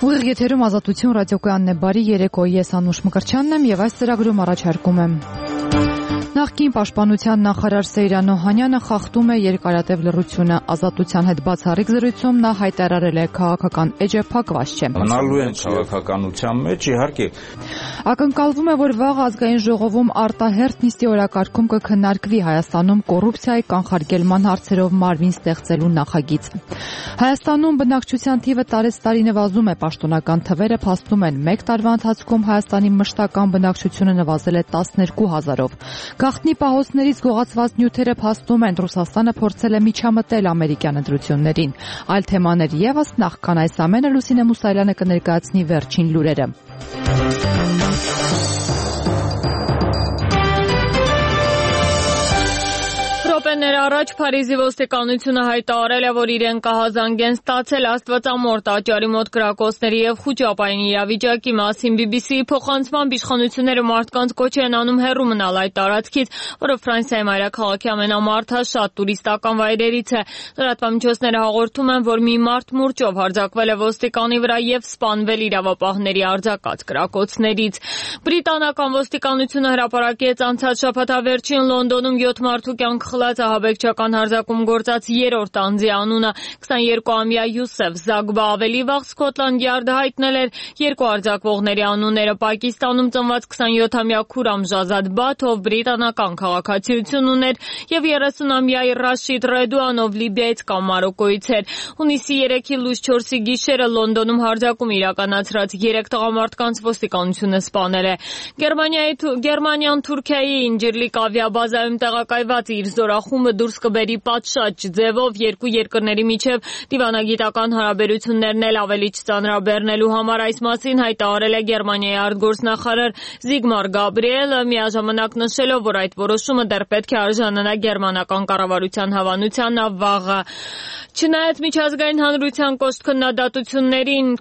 Ուղիղ եթերում Ազատություն ռադիոկայանն է, բարի երեկո, ես Անուշ Մկրտչյանն եմ եւ այս ծրագրում առաջարկում եմ. Նախկին պաշտպանության նախարար Սեյրան Օհանյանը խախտում է երկարատև լռությունը. Ազատության հետ բացառիկ զրույցում նա հայտարարել է քաղաքական էջը փակված չէ. Մնալու են քաղաքականության մեջ, իհարկե. Ակնկալվում է, որ վաղ ազգային ժողովում արտահերթ նիստի օրակարգում կքննարկվի Հայաստանում կոռուպցիայի կանխարգելման հարցերով մարմին ստեղծելու նախագիծ. Հայաստանում բնակչության թիվը տարեցտարի նվազում է, պաշտոնական թվերը փաստում են. մեկ տարվա ընթացքում Հայաստանի մշտական բնակչությունը նվազել է 12,000-ով. Գաղտնի պահոցներից գողացված նյութերը փաստում են. Ռուսաստանը փորձել է միջամտել ամերիկյան ընտրություններին. Այլ թեմաներ ևս, նախքան այս ամենը Լուսինե Մուսայելյանը կներկայացնի վերջին լուրերը. Րոպեներ առաջ Փարիզի ոստիկանությունը հայտարարել է, որ իրեն կահազանգ են ստացել աստվածամոր տաճարի մոտ կրակոցների եւ խուճապային իրավիճակի մասին. BBC-ի փոխանցմամբ իշխանությունները մարդկանց կոչ են անում հեռու մնալ այդ տարածքից, որը Ֆրանսիայի մայրաքաղաքի ամենամարդաշատ տուրիստական վայրերից է. Լրատվամիջոցները հաղորդում են, որ մի մարդ մուրճով հարձակվել է ոստիկանի վրա եւ սպանվել իրավապահների արձակած կրակոցներից. Բրիտանական ոստիկանությունը հրապարակեց անցած շաբաթավերջին Լոնդոնում 7 մարդու կյանք խլած ահաբեկչական հարձակում գործած երրորդ անձի անունը. 22-ամյա Յուսեֆ Զագբա ավելի վաղ Սքոթլանդ Յարդը հայտնել էր երկու արձակվողների անունները. Պակիստանում ծնված 27-ամյա Քուրամ Ժազադ Բաթ, ով բրիտանական քաղաքացիություն ուներ, եւ 30-ամյա Ռաշիդ Ռեդուան, ով Լիբիայից կամ Մարոկոից էր. Հունիսի 3-ի լույս 4-ի գիշերը Լոնդոնում հարձակում իրականացրած 3 տղամարդկանց ոստիկանությունը սպանել է. Գերմանիան Թուրքիայի Ինջիրլիկ ավիաբազայում տեղակայված իր զորախումբը դուրս կբերի պատշաճ ձևով երկու երկրների միջև դիվանագիտական հարաբերություններն էլ ավելի չծանրաբեռնելու համար. Այս մասին հայտարարել է Գերմանիայի արտգործնախարար Զիգմար Գաբրիելը, միաժամանակ նշելով, որ այդ որոշումը դեռ պետք է արժանանա գերմանական կառավարության հավանությանն վաղը. Չնայած միջազգային հանրության կոշտ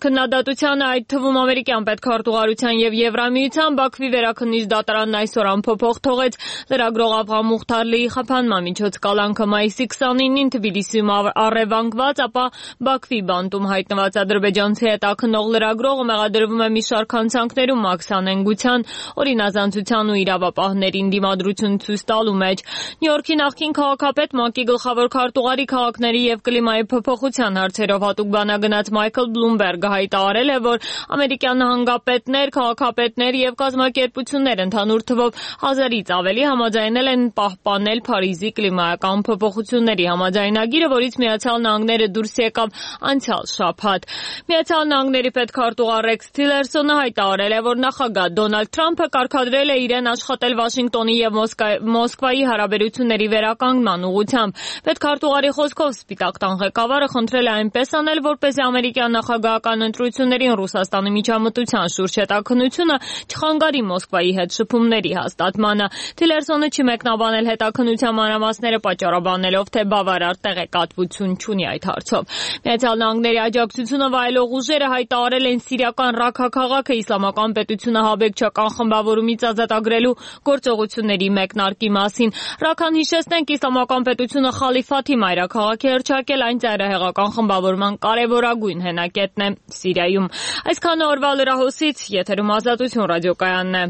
քննադատությանը, այդ թվում ամերիկյան պետքարտուղարության եւ Եվրամիության, Բաքվի վերաքննիչ դատարանն այսօր անփոփոխ թողեց լրագրող Աբղամ Մուխթարլիի խափանման միջոց կալանքը. մայիսի 29-ին Թբիլիսիում առևանգված, ապա Բաքվի բանտում հայտնված ադրբեջանցի հետաքննող լրագրողը մեղադրվում է մի շարք հանցանքներում մաքսանենգության, օրինազանցության ու իրավապահներին դիմադրություն ցույց տալու մեջ. Նյու Յորքի նախկին քաղաքապետ, ՄԱԿ-ի գլխավոր քարտուղարի քաղաքների եւ կլիմայի փոփոխության հարցերով հատուկ բանագնաց Մայքլ Բլումբերգը հայտարարել է, որ ամերիկյան նահանգապետներ, քաղաքապետներ եւ կազմակերպություններ ընդհանուր թվով 1000-ից ավելի համաձայնել են պահպանել Փարիզի կլիմայական փոփոխությունների համաձայնագիրը, որից Միացյալ Նահանգները դուրս եկավ անցյալ շաբաթ. Միացյալ Նահանգների պետքարտուղար Ռեքս Թիլերսոնը հայտարարել է, որ նախագահ Դոնալդ Թրամփը կարգադրել է իրեն աշխատել Վաշինգտոնի եւ Մոսկվայի հարաբերությունների վերականգնման ուղղությամբ. Պետքարտուղարի խոսքով Սպիտակ տան ղեկավարը խնդրել է այնպես անել, որպեսզի ամերիկյան նախագահական ընտրություններին Ռուսաստանի միջամտության շուրջ հետաքննությունը չխանգարի Մոսկվայի հետ շփումների հաստատմանը. Թիլերսոնը չի մեկնաբանել հետաքննության մանրամասները, պատճառաբանելով, թե բավարար տեղեկատվություն չունի այդ հարցով. Միացյալ Նահանգների աջակցությունը վայելող ուժերը հայտարարել են սիրիական Ռաքա քաղաքը իսլամական պետությունը ահաբեկչական խմբավորումից ազատագրելու գործողությունների մեկնարկի մասին. Ռաքան, հիշեցնենք, իսլամական պետությունը Խալիֆաթի մայրաքաղաք է հռչակել, այն ծայրահեղական խմբավորման կարևորագույն հենակետն է Սիրիայում. Այսքան օրվա լրահոսից, եթերում Ազատություն ռադիոկայանն է.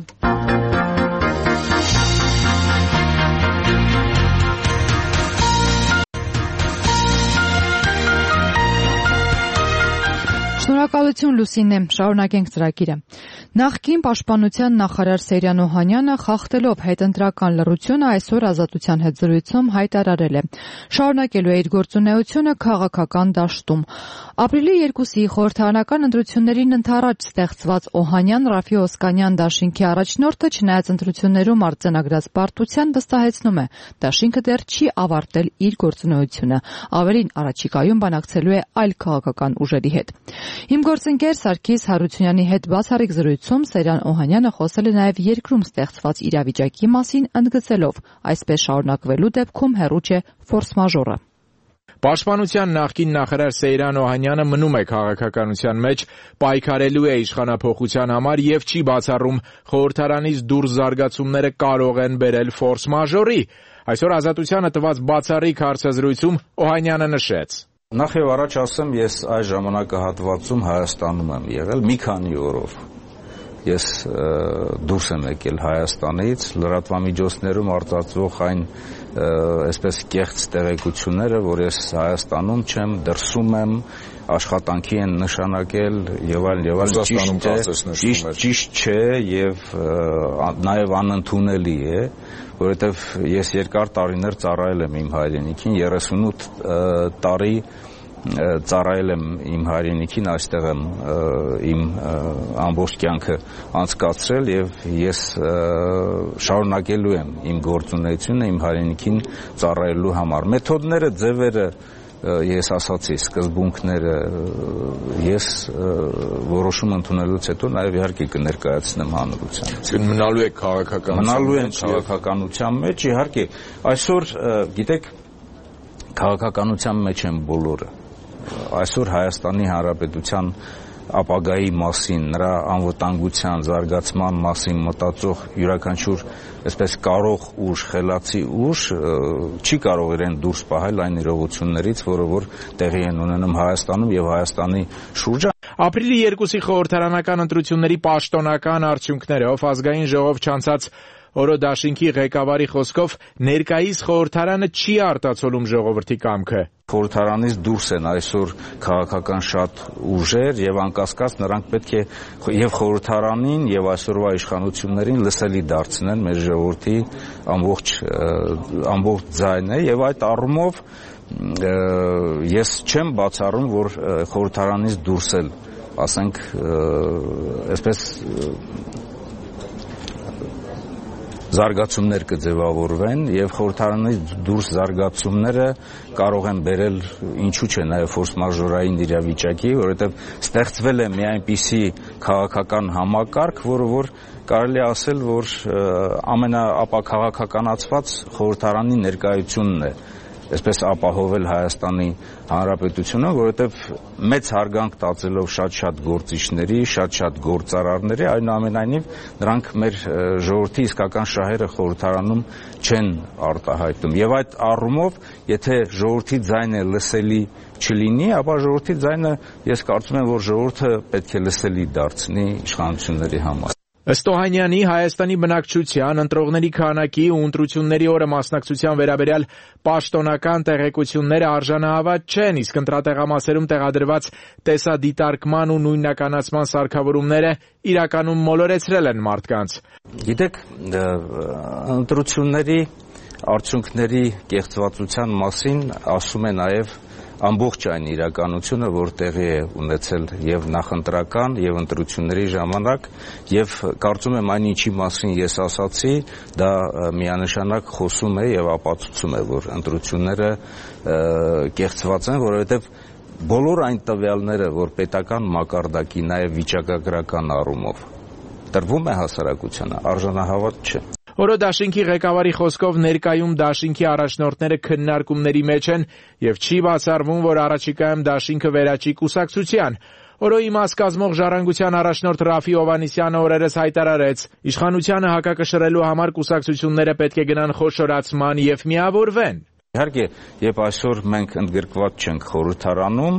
Շնորհակալություն Լուսինե, շարունակենք ծրագիրը. Նախկին պաշտպանության նախարար Սեյրան Օհանյանը խախտելով հետընտրական լռությունը այսօր Ազատության հետ զրույցում հայտարարել է. շարունակելու է իր գործունեությունը քաղաքական դաշտում. Ապրիլի 2-ի խորհրդարանական ընտրություններին ընդառաջ ստեղծված Օհանյան Ռաֆի Օսկանյան դաշինքի առաջնորդը, չնայած ընտրություններում արձանագրած պարտության, վստահեցնում է, դաշինքը դեռ չի ավարտել իր գործունեությունը. ավելին, առաջիկայում բանակցելու է այլ քաղաքական ուժերի հետ. Իմ գործընկեր Սարգիս Հարությունյանի հետ բացառիկ զրույցում Սեյրան Օհանյանը խոսել է նաև երկրում ստեղծված իրավիճակի մասին, ընդգծելով, այսպես շարունակվելու դեպքում հեռու չէ ֆորս մաժորը. Պաշտպանության նախկին նախարար Սեյրան Օհանյանը մնում է քաղաքականության մեջ, պայքարելու է իշխանափոխության համար եւ չի բացառում խորհրդարանից դուրս զարգացումները կարող են բերել ֆորս մաժորի. Այսօր Ազատությանը տված բացառիկ հարցազրույցում Օհանյանը նշեց. Նախ եւ առաջ ասեմ, ես այս ժամանակահատվածում Հայաստանում եմ եղել մի քանի օրով։ Ես դուրս եմ եկել Հայաստանից, լրատվամիջոցներում արտացվող այն այսպես կեղծ տեղեկությունները, որ ես Հայաստանում չեմ, դրսում եմ, աշխատանքի են նշանակել եւ այլն, ճիշտ չէ եւ նաեւ անընդունելի է, որովհետեւ ես երկար տարիներ ծառայել եմ իմ հայրենիքին, 38 տարի ծառայել եմ իմ հայրենիքին, այստեղ եմ իմ ամբողջ կյանքը անցկացրել եւ ես շարունակելու եմ իմ գործունեությունը իմ հայրենիքին ծառայելու համար։ Մեթոդները, ձևերը ես ասացի, սկզբունքները ես որոշում ընդունելուց հետո նաև իհարկե կներկայացնեմ հանրությանը։ Մնալու եք քաղաքականության մեջ, իհարկե, այսօր գիտեք, քաղաքականության մեջ են բոլորը։ Այսօր Հայաստանի Հանրապետության ապագայի մասին, նրա անվտանգության, զարգացման մասին մտածող յուրաքանչյուր այսպես կարող ուժ, խելացի ուժ չի կարող իրեն դուրս պահել այն իրողություններից, որը որ տեղի են ունենում Հայաստանում եւ Հայաստանի շուրջը։ Ապրիլի 2-ի խորհրդարանական ընտրությունների պաշտոնական արդյունքներով ազգային ժողով չանցած Օրո դաշինքի ղեկավարի խոսքով ներկայիս խորհրդարանը չի արտացոլում ժողովրդի կամքը։ Խորհրդարանից դուրս են այսօր քաղաքական շատ ուժեր եւ անկասկած նրանք պետք է եւ խորհրդարանին եւ այսօրվա իշխանություններին լսելի դարձնեն մեր ժողովրդի ամբողջ ձայնը եւ այդ առումով ես չեմ բացառում, որ խորհրդարանից դուրս էլ, ասենք, այսպես զարգացումներ կձևավորվեն եւ խորհրդարանից դուրս զարգացումները կարող են բերել ինչու՞ չէ նաեւ ֆորս-մաժորային իրավիճակի, որովհետեւ ստեղծվել է մի այնպիսի քաղաքական համակարգ, որը որ կարելի է ասել, որ ամենաապաքաղաքականացված խորհրդարանի ներկայությունն է այսպես ապահովել Հայաստանի Հանրապետությունը, որովհետև մեծ հարգանք տածելով շատ գործիչների, շատ գործարարների, այնուամենայնիվ նրանք մեր ժողովրդի իսկական շահերը խորհրդարանում չեն արտահայտում։ Եվ այդ առումով, եթե ժողովրդի ձայնը լսելի չլինի, ապա ժողովրդի ձայնը ես կարծում եմ, որ ժողովուրդը պետք է լսելի դարձնի իշխանությունների համար։ Ըստ Օհանյանի, Հայաստանի բնակչության, ընտրողների քանակի ու ընտրությունների օրը մասնակցության վերաբերյալ պաշտոնական տեղեկությունները արժանահավատ չեն, իսկ ընտրատեղամասերում տեղադրված տեսադիտարկման ու նույնականացման սարքավորումները իրականում մոլորեցրել են մարդկանց։ Գիտեք, ընտրությունների արդյունքների կեղծվածության մասին ասում է նաև ամբողջ այն իրականությունը, որ տեղի է ունեցել եւ նախընտրական եւ ընտրությունների ժամանակ եւ կարծում եմ այն ինչի մասին ես ասացի, դա միանշանակ խոսում է եւ ապացուցում է, որ ընտրությունները կեղծված են, որովհետեւ բոլոր այն տվյալները, որ պետական մակարդակի նաեւ վիճակագրական առումով տրվում է հասարակությանը, արժանահավատ չէ։ Օրո դաշինքի ղեկավարի խոսքով ներկայում դաշինքի առաջնորդները քննարկումների մեջ են եւ չի բացառվում, որ առաջիկայում դաշինքը վերաճի կուսակցության։ Օրոյի մաս կազմող ժառանգության առաջնորդ Ռաֆի Հովհաննիսյանը օրերս հայտարարեց. իշխանությանը հակակշռելու համար կուսակցությունները պետք է գնան խոշորացման եւ միավորվեն։ Իհարկե, երբ այսօր մենք ընդգրկված չենք խորհրդարանում,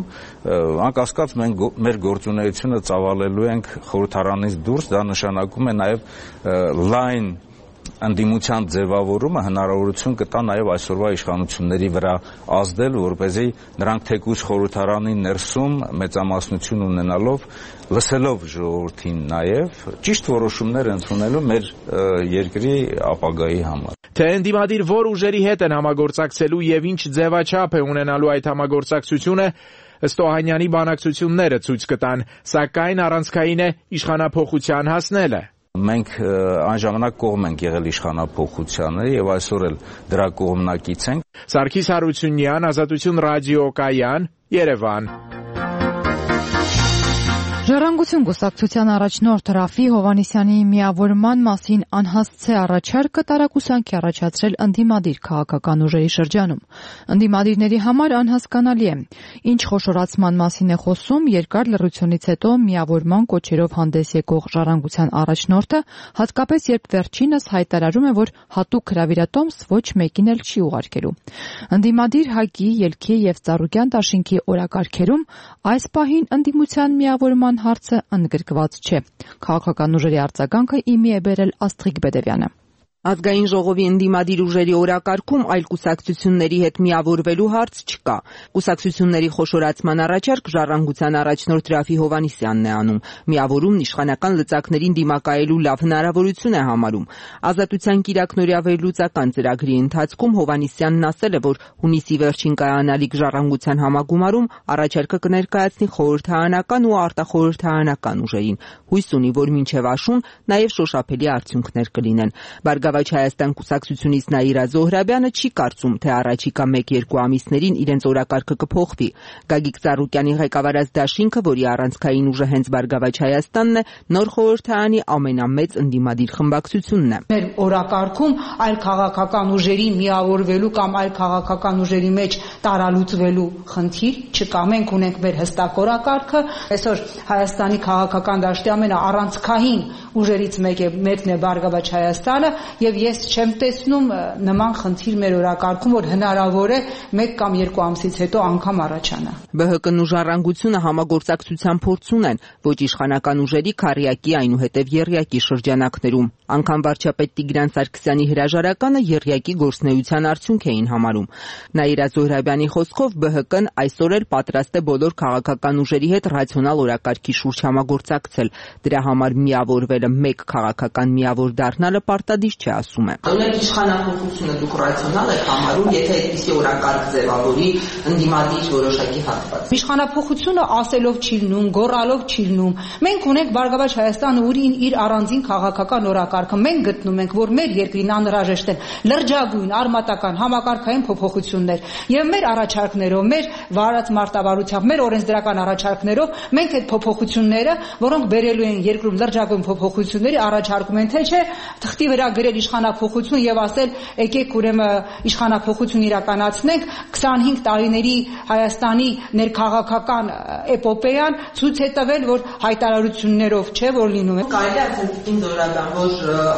անկասկած մենք մեր գործունեությունը ծավալելու ենք խորհրդարանից դուրս, դա նշանակում է նաեւ լայն ընդդիմության ձևավորումը հնարավորություն կտա նաև այսօրվա իշխանությունների վրա ազդել, որպեսզի նրանք թեկուզ խորհրդարանի ներսում մեծամասնություն ունենալով, լսելով ժողովրդին նաև ճիշտ որոշումներ ընդունելու մեր երկրի ապագայի համար։ Թե ընդդիմադիր որ ուժերի հետ են համագործակցելու եւ ինչ ձևաչափ է ունենալու այդ համագործակցությունը, ըստ Օհանյանի բանակցությունները ցույց կտան, սակայն առանցքային է իշխանափոխության հասնելը։ Մենք այն ժամանակ կողմ ենք եղել իշխանափոխությանը եւ այսօր էլ դրա կողմնակից ենք։ Սարգիս Հարությունյան, Ազատություն ռադիոկայան, Երևան։ Ժառանգություն կուսակցության առաջնորդ Ռաֆի Հովհաննիսյանի միավորման մասին անհասցե առաջարկը տարակուսանքի առաջացրել ընդդիմադիր քաղաքական ուժերի շրջանում։ Ընդդիմադիրների համար անհասկանալի է, ինչ խոշորացման մասին է խոսում երկար լռությունից հետո միավորման կոչերով հանդես եկող Ժառանգության առաջնորդը, հատկապես երբ վերջինս հայտարարում է, որ հատուկ հրավիրատոմս ոչ մեկին էլ չի ուղարկելու։ Ընդդիմադիր ՀԱԿ-ի, ելքի եւ Ծառուկյան դաշինքի օրակարգերում այս պահին ընդդիմության միավորման հարցը ընդգրկված չէ։ Քաղաքական ուժերի արձագանքը իմի է բերել Աստղիկ Բեդևյանը։ Ազգային ժողովի ընդդիմադիր ուժերի օրակարգում այլ կուսակցությունների հետ միավորվելու հարց չկա։ Կուսակցությունների խոշորացման առաջարկ Ժառանգության առաջնորդ Ռաֆի Հովհաննիսյանն է անում։ Միավորումն իշխանական լծակներին դիմակայելու լավ հնարավորություն է համարում։ Ազատության կիրակնօրյա վերլուծական ծրագրի ընթացքում Հովհաննիսյանն ասել է, որ հունիսի վերջին կայանալիք Ժառանգության համագումարում առաջարկը կներկայացնի խորհրդարանական ու արտախորհրդարանական ուժերին։ Հույս ունի, որ մինչև աշուն նաև շոշափելի արդյունքներ կլինեն։ Բարգավաճ Հայաստան կուսակցությունից Նաիրա Զոհրաբյանը չի կարծում, թե առաջիկա 1-2 ամիսներին իրենց օրակարգը կփոխվի։ Գագիկ Ծառուկյանի ղեկավարած դաշինքը, որի առանցքային ուժը հենց Բարգավաճ Հայաստանն է, նոր խորհրդարանի ամենամեծ ընդդիմադիր խմբակցությունն է։ Մեր օրակարգում այլ քաղաքական ուժերի միավորվելու կամ այլ քաղաքական ուժերի մեջ տարալուծվելու խնդիր չկա։ Մենք ունենք մեր հստակ օրակարգը։ Այսօր Հայաստանի քաղաքական դաշտի ամենաառանցքային ուժերից մեկն է Բարգավաճ Հայաստանը, եւ ես չեմ տեսնում նման խնդիր մեր օրակարգում, որ հնարավոր է 1 կամ 2 ամսից հետո անգամ առաջանա։ ԲՀԿ-ն ու Ժառանգությունը համագործակցության փորձ ունեն ոչ իշխանական ուժերի քառյակի, այնուհետև եռյակի շրջանակներում։ Անգամ վարչապետ Տիգրան Սարգսյանի հրաժարականը եռյակի գործնեության արդյունք էին համարում։ Նաիրա Զոհրաբյանի խոսքով ԲՀԿ-ն այսօր էլ պատրաստ է բոլոր քաղաքական ուժերի հետ ռացիոնալ օրակարգի շուրջ համագործակցել։ Դրա համար միավորվելը մեկ քաղաքական միավոր դառնալը պարտադիր չէ, ասում է։ Ունեք իշխանախոսությունը դուք ռացիոնալ եք համարում, եթե այդպիսի օրակարգ ձևավորի ընդդիմադիր որոշակի հատված։ Իշխանափոխությունը ասելով չի լինում, գոռալով չի լինում։ Մենք ունենք Բարգավաճ Հայաստանը, որին իր առանձին քաղաքական օրակարգը։ Մենք գտնում ենք, որ մեր երկրին անհրաժեշտ են լրջագույն արմատական համակարգային փոփոխություններ, եւ մեր առաջարկներով, մեր վարած մարտավարությամբ, մեր օրենսդրական առաջարկներով մենք այդ փոփոխությունները, որոնք բերելու են երկրում լրջագույն փոփոխությունների, առաջարկում են, թե չէ, թղթի վրա գրել իշխանափոխություն եւ ասել եկեք ուրեմն իշխանափոխություն իրականացնենք 25 տարիների Հայաստանի ներքաղաքական էպոպեան ցույց է տվել, որ հայտարարություններով չէ, որ լինում է։ Կարելի է ասել Զորաբան, որ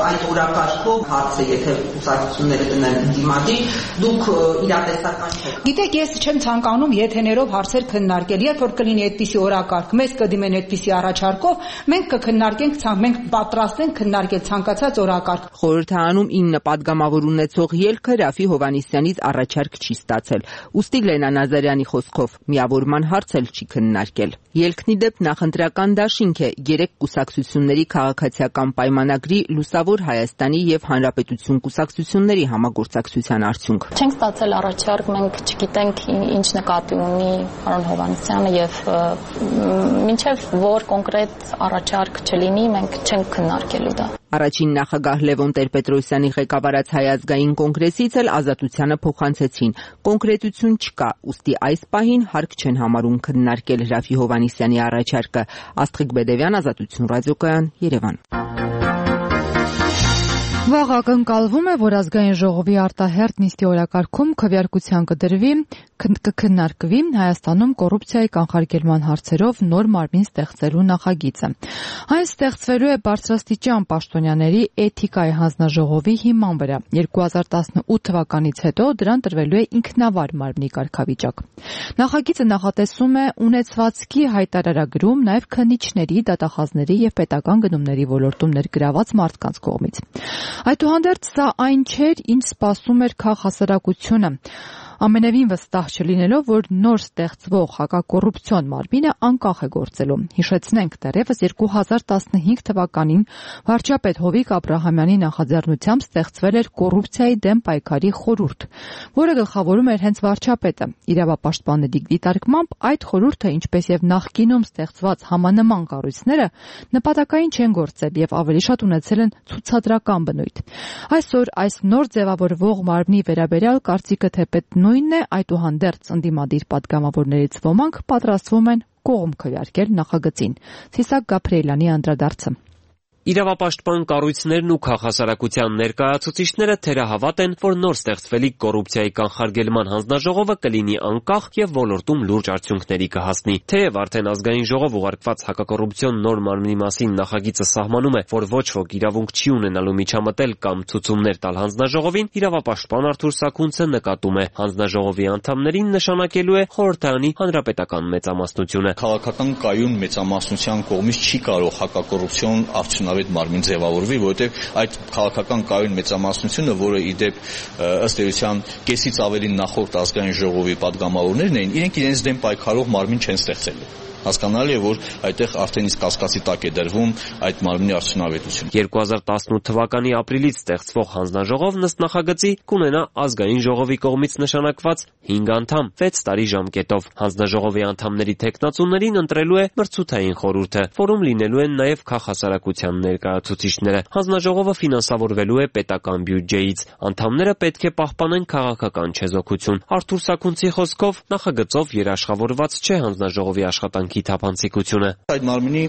այդ օրակարգով հարցը, եթե կուսակցությունները դնեն ընդդիմադիր, դուք իրատեսական չեք։ Գիտեք, ես չեմ ցանկանում եթեներով հարցեր քննարկել։ Երբ որ կլինի այդպիսի օրակարգ, մեզ կդիմեն այդպիսի առաջարկով, մենք կքննարկենք, մենք պատրաստ ենք քննարկել ցանկացած օրակարգ։ Խորհրդարանում 9 падգամավոր ունեցող ելքը Ռաֆի Հովհաննիսյանից առաջարկ չի ստացել։ Ուստի Լենա Նազարյանի խոսքով միավորման հարց էլ չի քննարկել։ Ելքն ի դեպ նախընտրական դաշինք է 3 կուսակցությունների քաղաքացիական պայմանագրի Լուսավոր Հայաստանի եւ Հանրապետություն կուսակցությունների համագործակցության արդյունք։ Չենք ստացել առաջարկ, մենք չգիտենք ինչ նկատի ունի պարոն Հովհաննիսյանը եւ մինչեւ որ կոնկրետ առաջարկ չլինի, մենք չենք քննարկելու դա։ Առաջին նախագահ Լևոն Տեր-Պետրոսյանի ղեկավարած Հայ ազգային կոնգրեսից էլ Ազատությանը փոխանցեցին։ Կոնկրետություն չկա, ուստի այս պահին հարկ չեն համարում քննարկել Ռաֆի Հովհաննիսյանի առաջարկը։ Աստղիկ Բեդևյան, Ազատություն ռադիոկայան, Երևան։ Վաղ ակնկալվում է, որ ազգային ժողովի արտահերթ նիստի օրակարգում քվեարկության կքննարկվի Հայաստանում կոռուպցիայի կանխարգելման հարցերով նոր մարմին ստեղծելու նախագիծը։ Այն ստեղծվելու է բարձրաստիճան պաշտոնյաների էթիկայի հանձնաժողովի հիման վրա։ 2018 թվականից հետո դրան տրվելու է ինքնավար մարմնի կարգավիճակ։ Նախագիծը նախատեսում է ունեցվածքի հայտարարագրում նաև քննիչների, դատախազների եւ պետական գնումների ոլորտում ներգրաված մարդկանց կողմից։ Այդուհանդերձ սա այն չէր, ինչ սպասում էր քաղաքասարակությունը։ Ամենևին վստահ չլինելով, որ նոր ստեղծվող հակակոռուպցիոն մարմինը անկախ է գործելու։ Հիշեցնենք, դեռևս 2015 թվականին վարչապետ Հովիկ Աբրահամյանի նախաձեռնությամբ ստեղծվել էր կոռուպցիայի դեմ պայքարի խորհուրդ, որը գլխավորում էր հենց վարչապետը։ Իրավապաշտպանների դիտարկմամբ այդ խորհուրդը, ինչպես եւ նախկինում ստեղծված համանման կառույցները, նպատակային չեն գործել եւ ավելի շատ ունեցել են ցուցադրական բնույթ։ Այսօր այս նոր ձևավորվող մարմնի վերաբերյալ կարծիքը թեպետ նույնն է, այդուհանդերձ ընդդիմադիր պատգամավորներից ոմանք պատրաստվում են կողմ քվեարկել նախագծին։ Ցիսակ Գաբրիելյանի անդրադարձը։ Իրավապաշտպան կառույցներն ու քաղաքասարակության ներկայացուցիչները թերահավատ են, որ նոր ստեղծվելիք կոռուպցիայի կանխարգելման հանձնաժողովը կլինի անկախ եւ ոլորտում լուրջ արդյունքների կհասնի։ Թեև արդեն ազգային ժողով ուղարկված հակակոռուպցիոն նոր մարմնի մասին նախագիծը սահմանում է, որ ոչ ոք իրավունք չի ունենալու միջամտել կամ ցուցումներ տալ հանձնաժողովին, իրավապաշտպան Արթուր Սաքունցը նկատում է, հանձնաժողովի անդամներին նշանակելու է խորհրդարանի հանրապետական մեծամասնությունը։ Քաղաքական կայուն մեծամասնության կողմից չի կարող հակակոռուպցիոն արդյունավետ մարմին ձևավորվի, որովհետև այդ քաղաքական կայուն մեծամասնությունը, որը իդեպ ըստ էության կեսից ավելի նախորդ ազգային ժողովի падգամավորներն էին, իրենք իրենց դեմ պայքարող մարմին չեն ստեղծելու։ Հասկանալի է, որ այդտեղ արդեն իսկ կասկածի տակ է դրվում այդ մարմնի արդյունավետությունը։ 2018 թվականի ապրիլից ստեղծվող հանձնաժողովն ըստ նախագծի կունենա ազգային ժողովի կողմից նշանակված 5 անդամ 6 տարի ժամկետով։ Հանձնաժողովի անդամների թեկնածուներին ընտրելու է մրցութային խորհուրդը, որում լինելու են նաև քաղաքասարակության ներկայացուցիչները։ Հանձնաժողովը ֆինանսավորվելու է պետական բյուջեից։ Անդամները պետք է պահպանեն քաղաքական չեզոքություն։ Արթուր Սաքունցի խոսքով նախագծով երաշխավորված չէ հանձնաժողովի աշխատանքի թափանցիկությունը։ Այդ մարմնի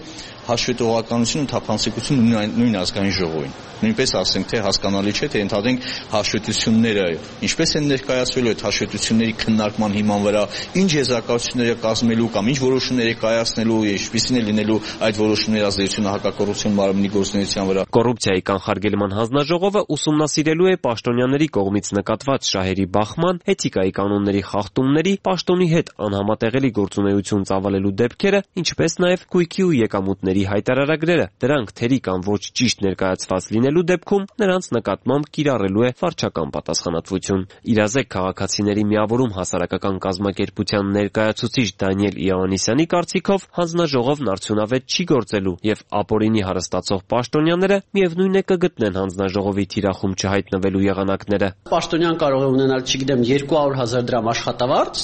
հաշվետվողականությունը ու թափանցիկությունը նույն ազգային ժողովին։ Նույնպես ասենք, թե հասկանալի չէ, թե ընդհանրենք հաշվետվությունները ինչպես են ներկայացվելու, այդ հաշվետվությունների քննարկման հիման վրա ինչ եզրակացություններ է կազմելու կամ ինչ որոշումներ է կայացնելու, ինչպիսին է լինելու այդ որոշումների ազդեցությունը հակակոռուպցիոն մարմնի գործունեության վրա։ Կոռուպցիայի կանխարգելման հանձնաժողովը ուսումնասիրելու է պաշտոնյաների կողմից նկատված շահերի բախման, էթիկայի կանոնների խախտումների, պաշտոնի հետ անհամատեղելի գործունեություն ծավալելու դեպքերը, ինչպես նաև գույքի ու եկամուտների հայտարարագրերը։ Դրանք թերի կամ ոչ ճիշտ ներկայացված լինելու դեպքում նրանց նկատմամբ կիրառելու է վարչական պատասխանատվություն։ Իրազեկ քաղաքացիների միավորում հասարակական կազմակերպության ներկայացուցիչ Դանիել Իոաննիսյանի կարծիքով հանձնաժողովն արդյունավետ չի գործելու եւ ապօրինի հարստացող պաշտոնյաները միևնույն է կգտնեն հանձնաժողովի թիրախում չհայտնվելու եղանակները։ Պաշտոնյան կարող է ունենալ, չգիտեմ, 200,000 դրամ աշխատավարձ,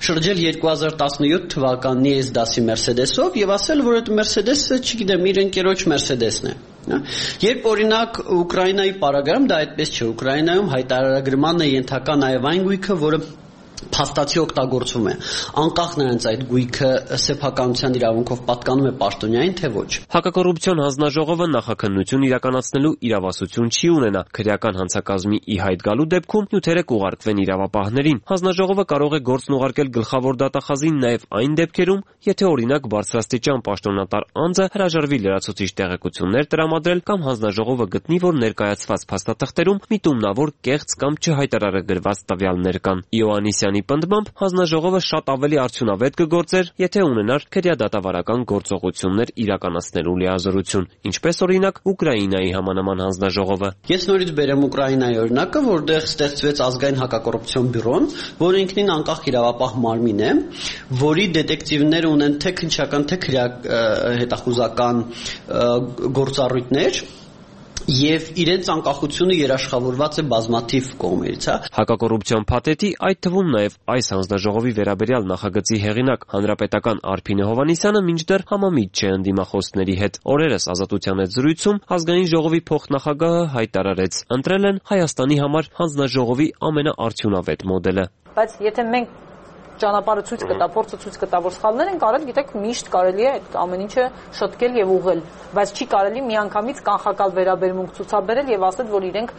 շրջել 2017 թվականի այս դասի Mercedes-ով եւ ասել, որ այդ Mercedes-ը, չգիտեմ, իր ընկերոջ Mercedes-ն է։ Երբ օրինակ Ուկրաինայի պարագայում դա այդպես չէ, Ուկրաինայում հայտարարագրման է ենթակա նաև այն գույքը, որը փաստացի օգտագործվում է, անկախ նրանց այդ գույքը սեփականության իրավունքով պատկանում է պաշտոնյային, թե ոչ։ Հակակոռուպցիոն հանձնաժողովը նախաքննություն իրականացնելու իրավասություն չի ունենա։ Քրեական հանցակազմի ի հայտ գալու դեպքում նյութերը կուղարկվեն իրավապահներին։ Հանձնաժողովը կարող է գործն ուղարկել գլխավոր դատախազին նաև այն դեպքերում, եթե օրինակ բարձրաստիճան պաշտոնատար անձը հրաժարվի լրացուցիչ տեղեկություններ տրամադրել կամ հանձնաժողովը գտնի, որ ներկայացված փաստաթղթերում միտումնավոր կեղծ կամ չհայտարարագրված տվյալներ կան։ Իոաննիսյանի պնդմամբ հանձնաժողովը շատ ավելի արդյունավետ կգործեր, եթե ունենար քրեադատավարական գործողություններ իրականացնելու լիազորություն, ինչպես օրինակ Ուկրաինայի համանման հանձնաժողովը։ Ես նորից բերեմ Ուկրաինայի օրինակը, որտեղ ստեղծվեց ազգային հակակոռուպցիոն բյուրոն, որը ինքնին անկախ իրավապահ մարմին է, որի դետեկտիվները ունեն թե քննչական, թե հետախուզական գործառույթներ եւ իրենց անկախությունը երաշխավորված է բազմաթիվ կողմերից, հա։ Հակակոռուպցիոն փաթեթի, այդ թվում նաեւ այս հանձնաժողովի վերաբերյալ նախագծի հեղինակ հանրապետական Արփինե Հովհաննիսյանը մինչդեռ համամիջ չէ ընդդիմախոսների հետ։ Օրերս Ազատության հետ զրույցում ազգային ժողովի փոխնախագահը հայտարարեց, ընտրել են Հայաստանի համար հանձնաժողովի ամենաարդյունավետ մոդելը։ Բայց եթե մենք ճանապարհը ցույց կտա, փորձը ցույց կտա, որ սխալներ են կարել, գիտեք, միշտ կարելի է այդ ամեն ինչը շտկել եւ ուղղել, բայց չի կարելի միանգամից կանխակալ վերաբերմունք ցուցաբերել եւ ասել, որ իրենք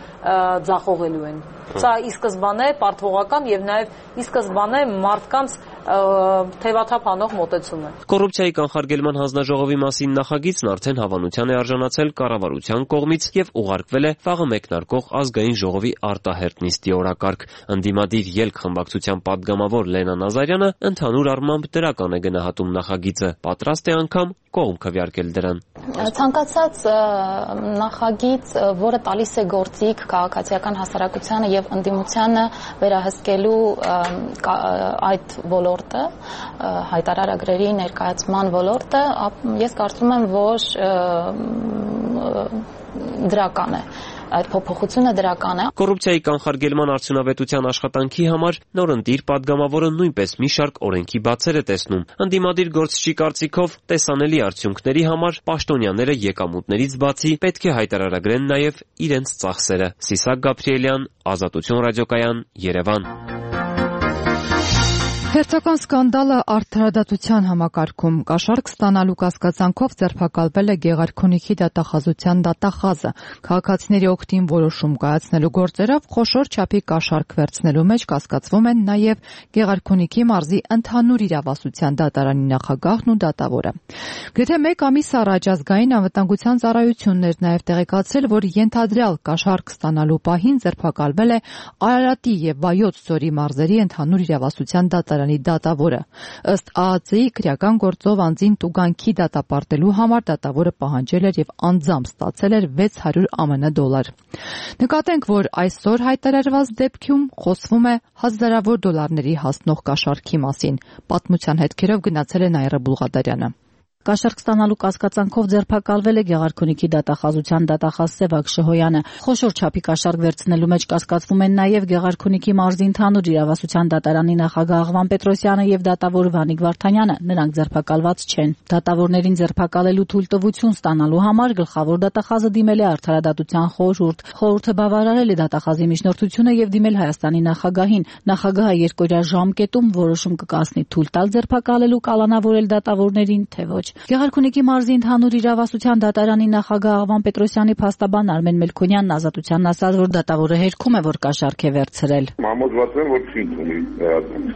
ձախողելու են։ Սա ի սկզբանե պարտվողական եւ նաեւ ի սկզբանե մարդկանց թևաթափ անող մոտեցում է։ Կոռուպցիայի կանխարգելման հանձնաժողովի մասին նախագիծն արդեն հավանության է արժանացել կառավարության կողմից եւ ուղարկվել է վաղը մեկնարկող ազգային ժողովի արտահերտ նիստի օրակարգ։ Ընդդիմադիր ելք խմբակցության падգամավոր Լենա Նազարյանը ընդհանուր առմամբ դրական է գնահատում նախագիծը, պատրաստ է անգամ կողմ քվեարկել դրան։ Ցանկացած նախագիծ, որը տալիս է գործիք քաղաքացիական հասարակությանը եւ ընդդիմությանը վերահսկելու այդ ոլորտը, հայտարարագրերի ներկայացման ոլորտը, ես կարծում եմ, որ դրական է։ Այդ փոփոխությունը դրական է։ Կոռուպցիայի կանխարգելման արդյունավետության աշխատանքի համար նորընտիր падգամավորը նույնպես մի շարք օրենքի բացեր է տեսնում։ Ընդդիմադիր գործչի կարծիքով տեսանելի արդյունքների համար պաշտոնյաները եկամուտներից բացի պետք է հայտարարագրեն նաև իրենց ծախսերը։ Ցիսակ Գաբրիելյան, Ազատություն ռադիոկայան, Երևան։ Հերթական սկանդալը արդարադատության համակարգում կաշառք ստանալու կասկածանքով ձերբակալվել է Գեղարքունիքի դատախազության դատախազը։ Քաղաքացիների օգտին որոշում կայացնելու գործերով խոշոր չափի կաշառք վերցնելու մեջ կասկածվում են նաև Գեղարքունիքի մարզի ընդհանուր իրավասության դատարանի նախագահն ու դատավորը։ Գրեթե մեկ ամիս առաջ ազգային անվտանգության ծառայությունն էր նաև տեղեկացրել, որ ենթադրյալ կաշառք ստանալու պահին ձերբակալվել է Արարատի եւ Վայոց ձորի մարզերի ընդհանուր իրավասության դատարանի դատավորը։ Ըստ ԱԱԾ-ի քրեական գործով անձին տուգանքի դատապարտելու համար դատավորը պահանջել էր եւ անձամբ ստացել էր $600 ԱՄՆ։ Նկատենք, որ այսօր հայտարարված դեպքում խոսվում է հազարավոր դոլարների հասնող կաշառքի մասին։ Պատմության հետքերով գնացել է Նաիրա Բուլղադարյանը։ Կաշառք ստանալու կասկածանքով ձերբակալվել է Գեղարքունիքի դատախազության դատախազ Սևակ Շհոյանը։ Խոշոր չափի կաշառք վերցնելու մեջ կասկածվում են նաև Գեղարքունիքի մարզի ընդհանուր իրավասության դատարանի նախագահ Աղվան Պետրոսյանը եւ դատավոր Վանիկ Վարդանյանը։ Նրանք ձերբակալված չեն։ Դատավորներին ձերբակալելու թույլտվություն ստանալու համար գլխավոր դատախազը դիմել է Արդարադատության խորհուրդ։ Խորհուրդը բավարարել է դատախազի միջնորդությունը եւ դիմել Հայաստանի նախագահին։ Նախագահը երկօրյա ժամկետում որոշում կկայացնի թույլ տալ ձերբակալելու կալանավորել դատավորներին, թե ոչ։ Գեղարքունիքի մարզի ընդհանուր իրավասության դատարանի նախագահ Աղվան Պետրոսյանի փաստաբան Արմեն Մելքոնյանն Ազատությանն ասաց, որ դատավորը հերքում է, որ կաշառք է վերցրել։ Համոզված եմ, որ չի ընդունի վերածում։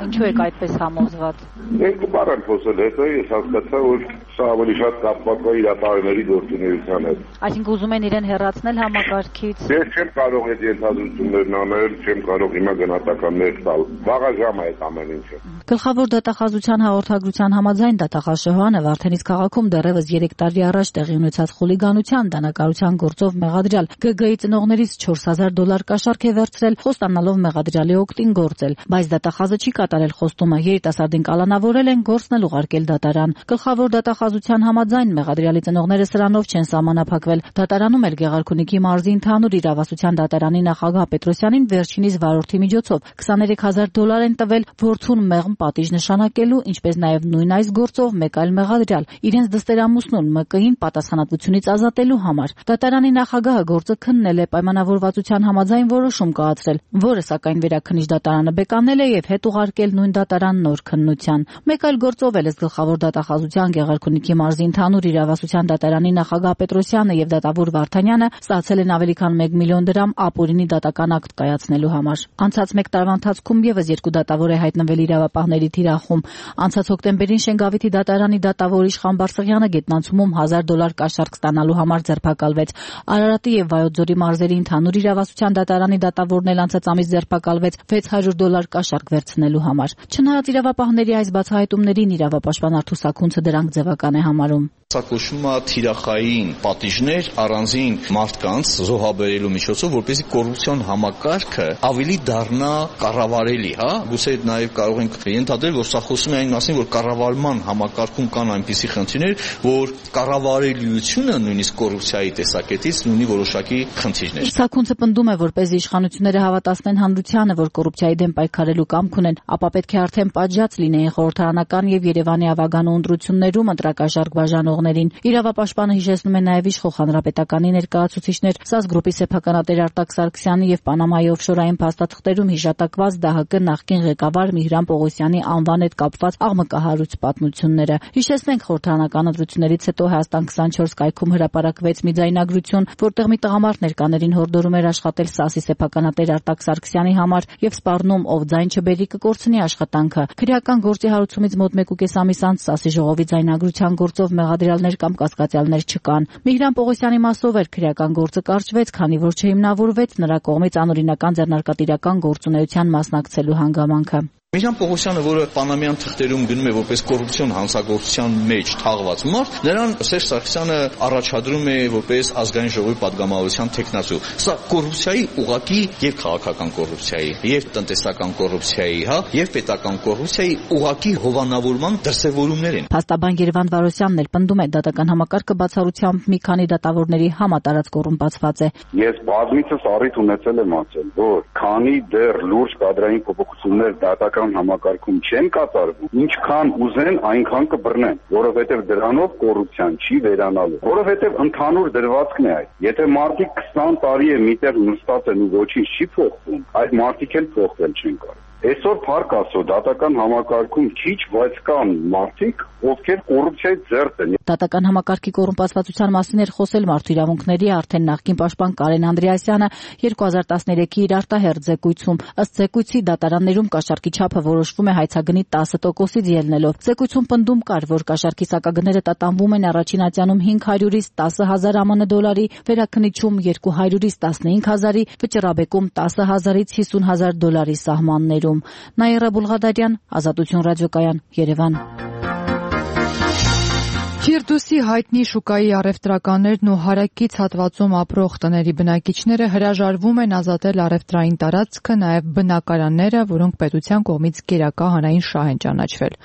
Ինչու եք այդպես համոզված։ Երկու բառ եմ խոսել, հետո ես հասկացա, որ սա ավելի շատ կապված է իրավարների գործունեության հետ։ Այսինքն ուզում են իրեն հեռացնել համակարգից։ Ես չեմ կարող այդ ենթադրություններն անել, չեմ կարող հիմա գնահատականներ տալ։ Վաղաժամ է այդ ամեն ինչը։ Գլխավոր դատախազության հաղորդագրության համաձայն դատախազ Շհոյանը Վարդենից քաղաքում դեռևս 3 տարի առաջ տեղի ունեցած խուլիգանության դանակարության գործով մեղադրյալ ԳԳ-ի ծնողներից $4,000 կաշառք է վերցրել, խոստանալով մեղադրյալի օգտին գործել, բայց դատախազը չի կատարել խոստումը, երիտասարդին կալանավորել են, գործն էլ ուղարկել դատարան։ Գլխավոր դատախազության համաձայն մեղադրյալի ծնողները սրանով չեն սահմանափակվել։ Դատարանում էլ Գեղարքունիքի մարզի ընդհանուր իրավասության դատարանի նախագահ Պետրոսյանին վերջինիս վարորդի միջոցով $23,000 են տվել որդուն մեղմ պատիժ նշանակելու, ինչպես նաև նույն այս գործով մեկ այլ մեղադրյալ իրենց դստերամուսնուն ՄԿ-ին պատասխանատվությունից ազատելու համար։ Դատարանի նախագահը գործը քննել է, պայմանավորվածության համաձայն որոշում կայացրել, որը սակայն վերաքննիչ դատարանը բեկանել է եւ հետ ուղարկել նույն դատարան նոր քննության։ Մեկ այլ գործով էլ գլխավոր դատախազության Գեղարքունիքի մարզի ընդհանուր իրավասության դատարանի նախագահ Պետրոսյանը եւ դատավոր Վարդանյանը ստացել են ավելի քան $1 միլիոն ապօրինի դատական ակտ կայացնելու համար։ Անցած 1 տարվա ընթացքում եւս 2 դատավոր է հայտնվել իրավապահների թիրախում։ Անցած հոկտեմբերին Շենգավիթի դատարանի դատավոր Իշխան Բարսեղյանը գետնանցումում $1,000 կաշառք ստանալու համար ձերբակալվեց։ Արարատի եւ Վայոց ձորի մարզերի ընդհանուր իրավասության դատարանի դատավորն էլ անցած ամիս ձերբակալվեց $600 կաշառք վերցնելու համար։ Չնայած իրավապահների այս բացահայտումներին իրավապաշտպան Արթուր Սաքունցը դրանք ձևական է համարում։ Սա կոչվում է թիրախային պատիժներ առանձին մարդկանց զոհաբերելու միջոցով, որպեսզի կոռուպցիոն համակարգը ավելի դառնա կառավարելի, հա։ Գուցե նաև կարող ենք ենթադրել, որ սա խոսում է այն մասին, որ կառավարման համակարգում կան այնպիսի խնդիրներ, որ կառավարելիությունը նույնիսկ կոռուպցիայի տեսակետից ունի որոշակի խնդիրներ։ Սաքունցը պնդում է, որպեսզի իշխանությունները հավատացնեն հանրությանը, որ կոռուպցիայի դեմ պայքարելու կամք ունեն, ապա պետք է արդեն պատժած լինեին խորհրդարանական եւ Երևանի ավագանու ընտրություններում ընտրակաշառք բաժանողներին։ Իրավապաշտպանը հիշեցնում է նաև իշխող հանրապետականի ներկայացուցիչներ ՍԱՍ գրուպի սեփականատեր Արտակ Սարգսյանի եւ Պանամայի օֆշորային փաստաթղթերում հիշատակված ԴՀԿ նախկին ղեկավար Միհրան Պողոսյանի անվան հետ կապված աղմկահարույց պատմությունները։ Հիշեցնենք խորհրդարանական ընտրություններից հետո Հայաստան 24 կայքում հրապարակվեց մի ձայնագրություն, որտեղ մի տղամարդ ներկաներին հորդորում էր աշխատել ՍԱՍ-ի սեփականատեր Արտակ Սարգսյանի համար եւ սպառնում, ով ձայն չբերի կկորցնի աշխատանքը։ Քրեական գործի հարուցումից մոտ 1.5 ամիս անց ՍԱՍ-ի ժողովի ձայնագրության գործով մեղադրյալներ կամ կասկածյալներ չկան։ Միհրան Պողոսյանի մասով էր քրեական գործը կարճվեց, քանի որ չհիմնավորվեց նրա կողմից անօրինական ձեռնարկատիրական գործունեության մասնակցելու հանգամանքը։ Միհրան Պողոսյանը, որը պանամյան թղթերում գնում է որպես կոռուպցիոն հանցագործության մեջ թաղված մարդ, նրան Սերժ Սարգսյանը առաջադրում է որպես ազգային ժողովի падգամավորության թեկնածու։ Սա կոռուպցիայի ուղղակի եւ քաղաքական կոռուպցիայի, եւ տնտեսական կոռուպցիայի, հա, եւ պետական կոռուպցիայի ուղղակի հովանավորման դրսևորումներ են։ Փաստաբան Երևան Վարոսյանն էլ պնդում է, դատական համակարգը բացառությամբ մի քանի դատավորների համատարած կոռումպացված է։ Ես բազմիցս առիթ ունեցել եմ ասել, որ քանի դեռ լուրջ կադրային փոփոխություններ դատական համակարգում չեն կատարվում, ինչքան ուզեն, այնքան կբռնեն, որովհետև դրանով կոռուպցիան չի վերանալու, որովհետև ընդհանուր դրվածքն է այդ։ Եթե մարդիկ 20 տարի է միտեղ նստած են ու ոչինչ չի փոխվում, այդ մարդիկ էլ փոխվել չեն կարող։ Այսօր փառք Աստծո դատական համակարգում քիչ, բայց կան մարդիկ, ովքեր կոռուպցիայի ձեռք են։ Դատական համակարգի կոռումպացվածության մասին էր խոսել Մարդու իրավունքների արդեն նախկին պաշտպան Կարեն Անդրեասյանը 2013-ի իր արտահերթ զեկույցում։ Ըստ զեկույցի դատարաններում կաշառքի չափը որոշվում է հայցագնի 10%-ից ելնելով։ Զեկույցում պնդում կար, որ կաշառքի սակագները տատանվում են առաջին ատյանում 500-ից 10,000 ԱՄՆ դոլարի, վերաքննիչում 200-ից 15,000-ի, վճռաբեկում 10,000-ից 50,000 դոլարի սահմաններում։ Նաիրա Բուլղադարյան, Ազատություն ռադիոկայան, Երևան։ Ֆիրդուսի հայտնի շուկայի առևտրականներն ու հարակից հատվածում ապրող տների բնակիչները հրաժարվում են ազատել առևտրային տարածքը, նաև բնակարանները, որոնք պետության կողմից գերակա հանրային շահ են ճանաչվել։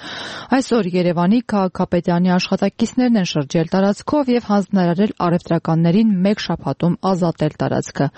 Այսօր Երևանի քաղաքապետարանի աշխատակիցներն են շրջել տարածքով եւ հանձնարարել առևտրականներին մեկ շաբաթում ազատել տարածքը։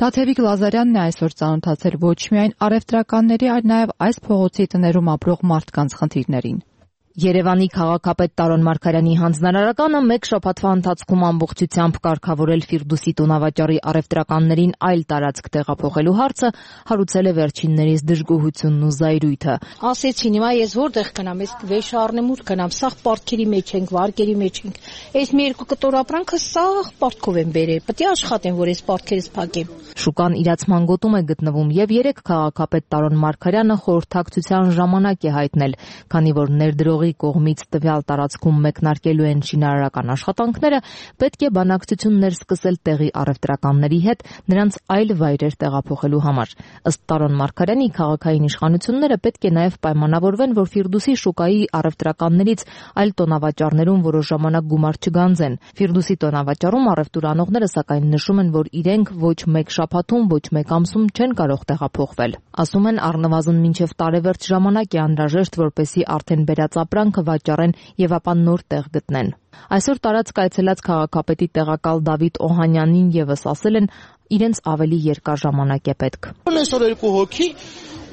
Դաթևիկ Լազարյանն է այսօր ծանոթացել ոչ միայն առևտրականների, այլ նաև այս փողոցի տներում ապրող մարդկանց խնդիրներին։ Երևանի քաղաքապետ Տարոն Մարգարյանի հանձնարարականը մեկ շաբաթվա ընթացքում ամբողջությամբ կարգավորել Ֆիրդուսի տոնավաճառի առևտրականներին այլ տարածք տեղափոխելու հարցը հարուցել է վերջիններիս դժգոհությունն ու զայրույթը։ Ասեցին, հիմա ես որտեղ գնամ, ես վեշ առնեմ ու գնամ, սաղ պարտքերի մեջ ենք, վարկերի մեջ ենք։ Այս մի երկու կտոր ապրանքը սաղ պարտքով են բերել, պետք է աշխատեմ, որ այս պարտքերից փակեմ։ Շուկան իրացման գոտում է գտնվում եւ երեք քաղաքապետ Տարոն Մարգարյանը խորհրդակցության ժամանակ է հայտնել, քանի որ ներդրողի կողմից տվյալ տարածքում մեկնարկելու են շինարարական աշխատանքները, պետք է բանակցություններ սկսել տեղի առևտրականների հետ նրանց այլ վայրեր տեղափոխելու համար։ Ըստ Տարոն Մարգարյանի, քաղաքային իշխանությունները պետք է նաև պայմանավորվեն, որ Ֆիրդուսի շուկայի առևտրականներից այլ տոնավաճառներում որոշ ժամանակ գումար չգանձեն։ Ֆիրդուսի տոնավաճառում առևտուր անողները սակայն նշում են, որ իրենք ոչ մեկ շաբաթում, ոչ մեկ ամսում չեն կարող տեղափոխվել։ Ասում են, առնվազն մինչև տարեվերջ ժամանակ է անհրաժեշտ, որպեսզի արդեն բերած ապրանքը վաճառեն եւ ապա նոր տեղ գտնեն։ Այսօր տարածք այցելած քաղաքապետի տեղակալ Դավիթ Օհանյանին եւս ասել են, իրենց ավելի երկար ժամանակ է պետք։ Այսօր երկու հոգի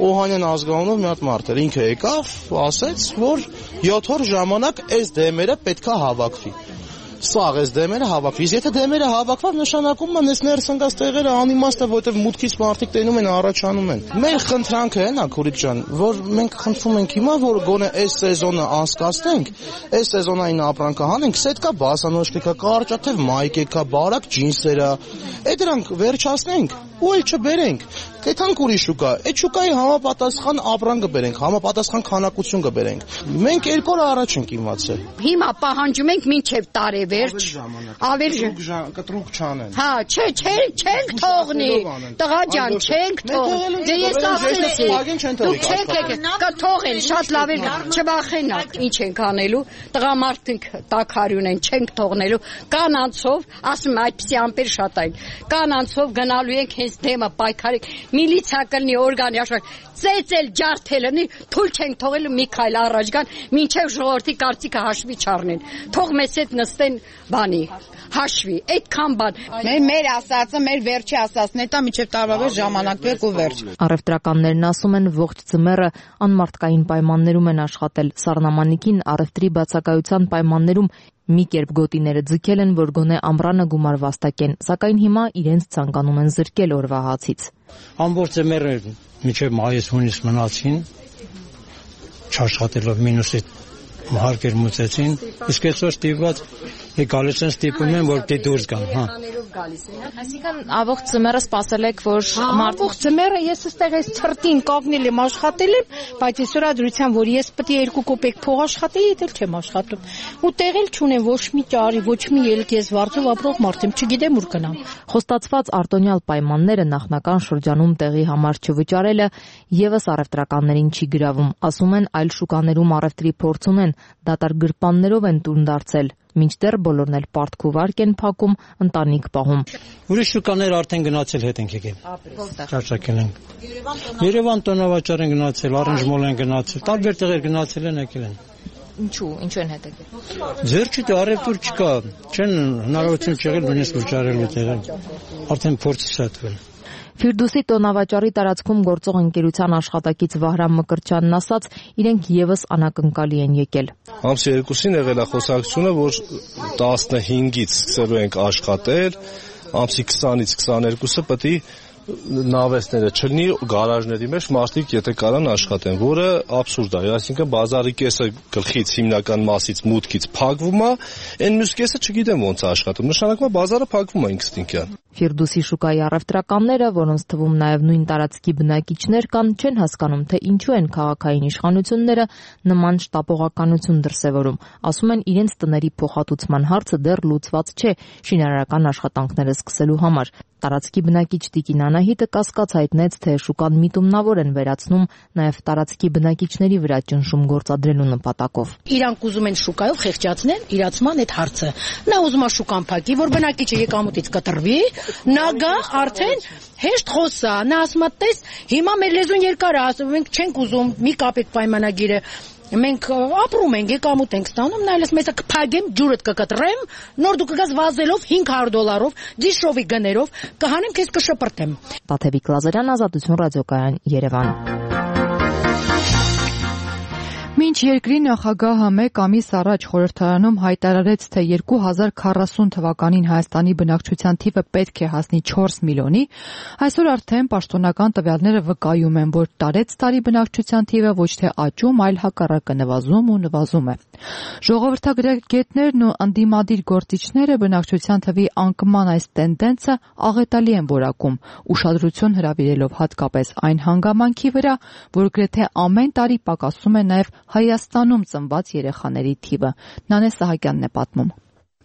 Օհանյան ազգանունով մի հատ մարդ էր, ինքը եկավ, ասեց, որ 7 օր ժամանակ այս դեմերը պետքա հավաքվի։ Սաղ այս դեմերը հավաքվի։ Եթե դեմերը հավաքվավ, նշանակում է այս ներս ընկած տեղերը անիմաստ է, որովհետև մուտքից մարդիկ տենում են, առաջանում են։ Մեր խնդրանքը է, Քուրիկ ջան, որ մենք խնդրում ենք հիմա, որ գոնե այս սեզոնը անցկացնենք, այս սեզոնային ապրանքը հանենք, սետկա բասանոճկա, կարճաթև մայկեկա, բարակ ջինսերա, այդ դրանք վերջացնենք ու էլ չբերենք։ Կեթանք ուրիշ շուկա, այդ շուկայի համապատասխան ապրանք կբերենք, համապատասխան քանակություն կբերենք։ Մենք 2 օր առաջ ենք իմացել։ Հիմա պահանջում ենք մինչև տարեվերջ, ավելի կտրուկ չանեն։ Հա, չենք թողնի։ Տղա ջան, չենք թողնի։ Դե ես ասեցի, դուք չեք եկել, կթողեն, շատ լավ է, չվախենաք։ Ինչ ենք անելու։ Տղամարդիկ տակարյուն են, չենք թողնելու։ Կանանցով, ասում այդպիսի ամպեր շատ այն։ Կանանցով գնալու ենք հենց դեմը պայքարի միլիցիա կլինի օրգանի աշխարհ ծեծել ջարդելնի թույլ չենք թողել մի քայլ առաջ գան մինչև ժողովրդի կարծիքը հաշվի չառնեն թող մեզ հետ նստեն բանի հաշվի այդքան բան մեր ասածը մեր վերջի ասածն է տա մինչև տարվա վերջ ժամանակ բերք ու վերջ Առևտրականներն ասում են ողջ ձմեռը անմարդկային պայմաններում են աշխատել սառնամանիքին առևտրի բացակայության պայմաններում մի կերպ գոտիները ձգել են, որ գոնե ամռանը գումար վաստակեն, սակայն հիմա իրենց ցանկանում են զրկել օրվա հացից։ Ամբողջ ձմեռը մինչև մայիս-հունիս մնացին, չաշխատելով մինուսի հարկեր մուծեցին, իսկ այսօր ստիպված գալիս են ստիպում են, որ դե դուրս գան, հա։ Այսինքն ամբողջ ձմեռը սպասել եք, որ ամբողջ ձմեռը ես այստեղ այս ցրտին կողնել եմ, աշխատել եմ, բայց այսօր ադրության, որ ես պետք է 2 կոպեկ փող աշխատեի, դեռ չեմ աշխատում։ Ու տեղել չունեմ ոչ մի ճարի, ոչ մի ելք, ես վարձով ապրող մարդ եմ, չգիտեմ ուր գնամ։ Խոստացված արտոնյալ պայմանները նախնական շրջանում տեղի համար չվճարելը եւս առևտրականներին չի գրավում, ասում են այլ շուկաներում առևտրի փորձ ունեն, դատարկ գրպաններով են տուն դարձել, մինչդեռ բոլորն էլ պարտք ու վարկ են փակում, ընտանիք պահում։ Ուրիշ շուկաներ արդեն գնացել հետ ենք եկել։ Ճաշակել ենք։ Երևան տոնավաճառ են գնացել, Առնժմոլ են գնացել, տարբեր տեղեր գնացել են եկել են։ Ինչու են հետ եկել։ Ձեր չի առևտուր չկա, չեն հնարավորություն չեղել նույնիսկ վճարելու տեղը։ Արդեն փորձ ստացվել։ Ֆիրդուսի տոնավաճառի տարածքում գործող ընկերության աշխատակից Վահրամ Մկրտչյանն ասաց, իրենք եւս անակնկալի են եկել։ Ամսի 2-ին եղել է խոսակցությունը, որ 15-ից սկսելու ենք աշխատել, ամսի 20-ից 22-ը պետք է նավեսները, չլինի գարաժների մեջ մարդիկ եթե կարան աշխատեն, որը աբսուրդ է, այսինքն բազարի կեսը գլխից հիմնական մասից մուտքից փակվում է, այն մյուս կեսը չգիտեմ ոնց է աշխատում, նշանակում է բազարը փակվում է ինստինկտիվ։ Ֆիրդուսի շուկայի առևտրականները, որոնց թվում նաև նույն տարածքի բնակիչներ կան, չեն հասկանում, թե ինչու են քաղաքային իշխանությունները նման շտապողականություն դրսևորում։ Ասում են, իրենց տների փոխհատուցման հարցը դեռ լուծված չէ շինարարական աշխատանքները սկսելու համար։ Տարածքի բնակիչ Տիկին Անահիտը կասկած հայտնեց, թե շուկան միտումնավոր են վերացնում նաև տարածքի բնակիչների վրա ճնշում գործադրելու նպատակով։ Իրանք ուզում են շուկայով խեղճացնել իրացման այդ հարցը։ Նա ուզում է շուկան փակի, որ բնակիչը եկամուտից կտրվի, նա գա արդեն հեշտ խոսա, նա ասում է, տես, հիմա մեր լեզուն երկար է, ասում ենք չենք ուզում, մի կապեք պայմանագիրը։ Մենք ապրում ենք, եկամուտ ենք ստանում, նայելս մեզ կփակեմ, ջուրդ կկտրեմ, նոր դու կգաս վազելով $500, դիշովի գներով, կհանեմ քեզ կշպրտեմ։ Տաթևիկ Լազարյան, Ազատություն ռադիոկայան, Երևան։ Մինչ երկրի նախագահը մեկ ամիս առաջ խորհրդարանում հայտարարեց, թե 2040 թվականին Հայաստանի բնակչության թիվը պետք է հասնի 4 միլիոնի, այսօր արդեն պաշտոնական տվյալները վկայում են, որ տարեցտարի բնակչության թիվը ոչ թե աճում, այլ հակառակը նվազում է։ Ժողովրդագետներն ու ընդդիմադիր գործիչները բնակչության թվի անկման այս տենդենսը աղետալի են որակում, ուշադրություն հրավիրելով հատկապես այն հանգամանքի վրա, որ գրեթե ամեն տարի պակասում է նաև Հայաստանում ծնված երեխաների թիվը։ Նանե Սահակյանն է պատմում։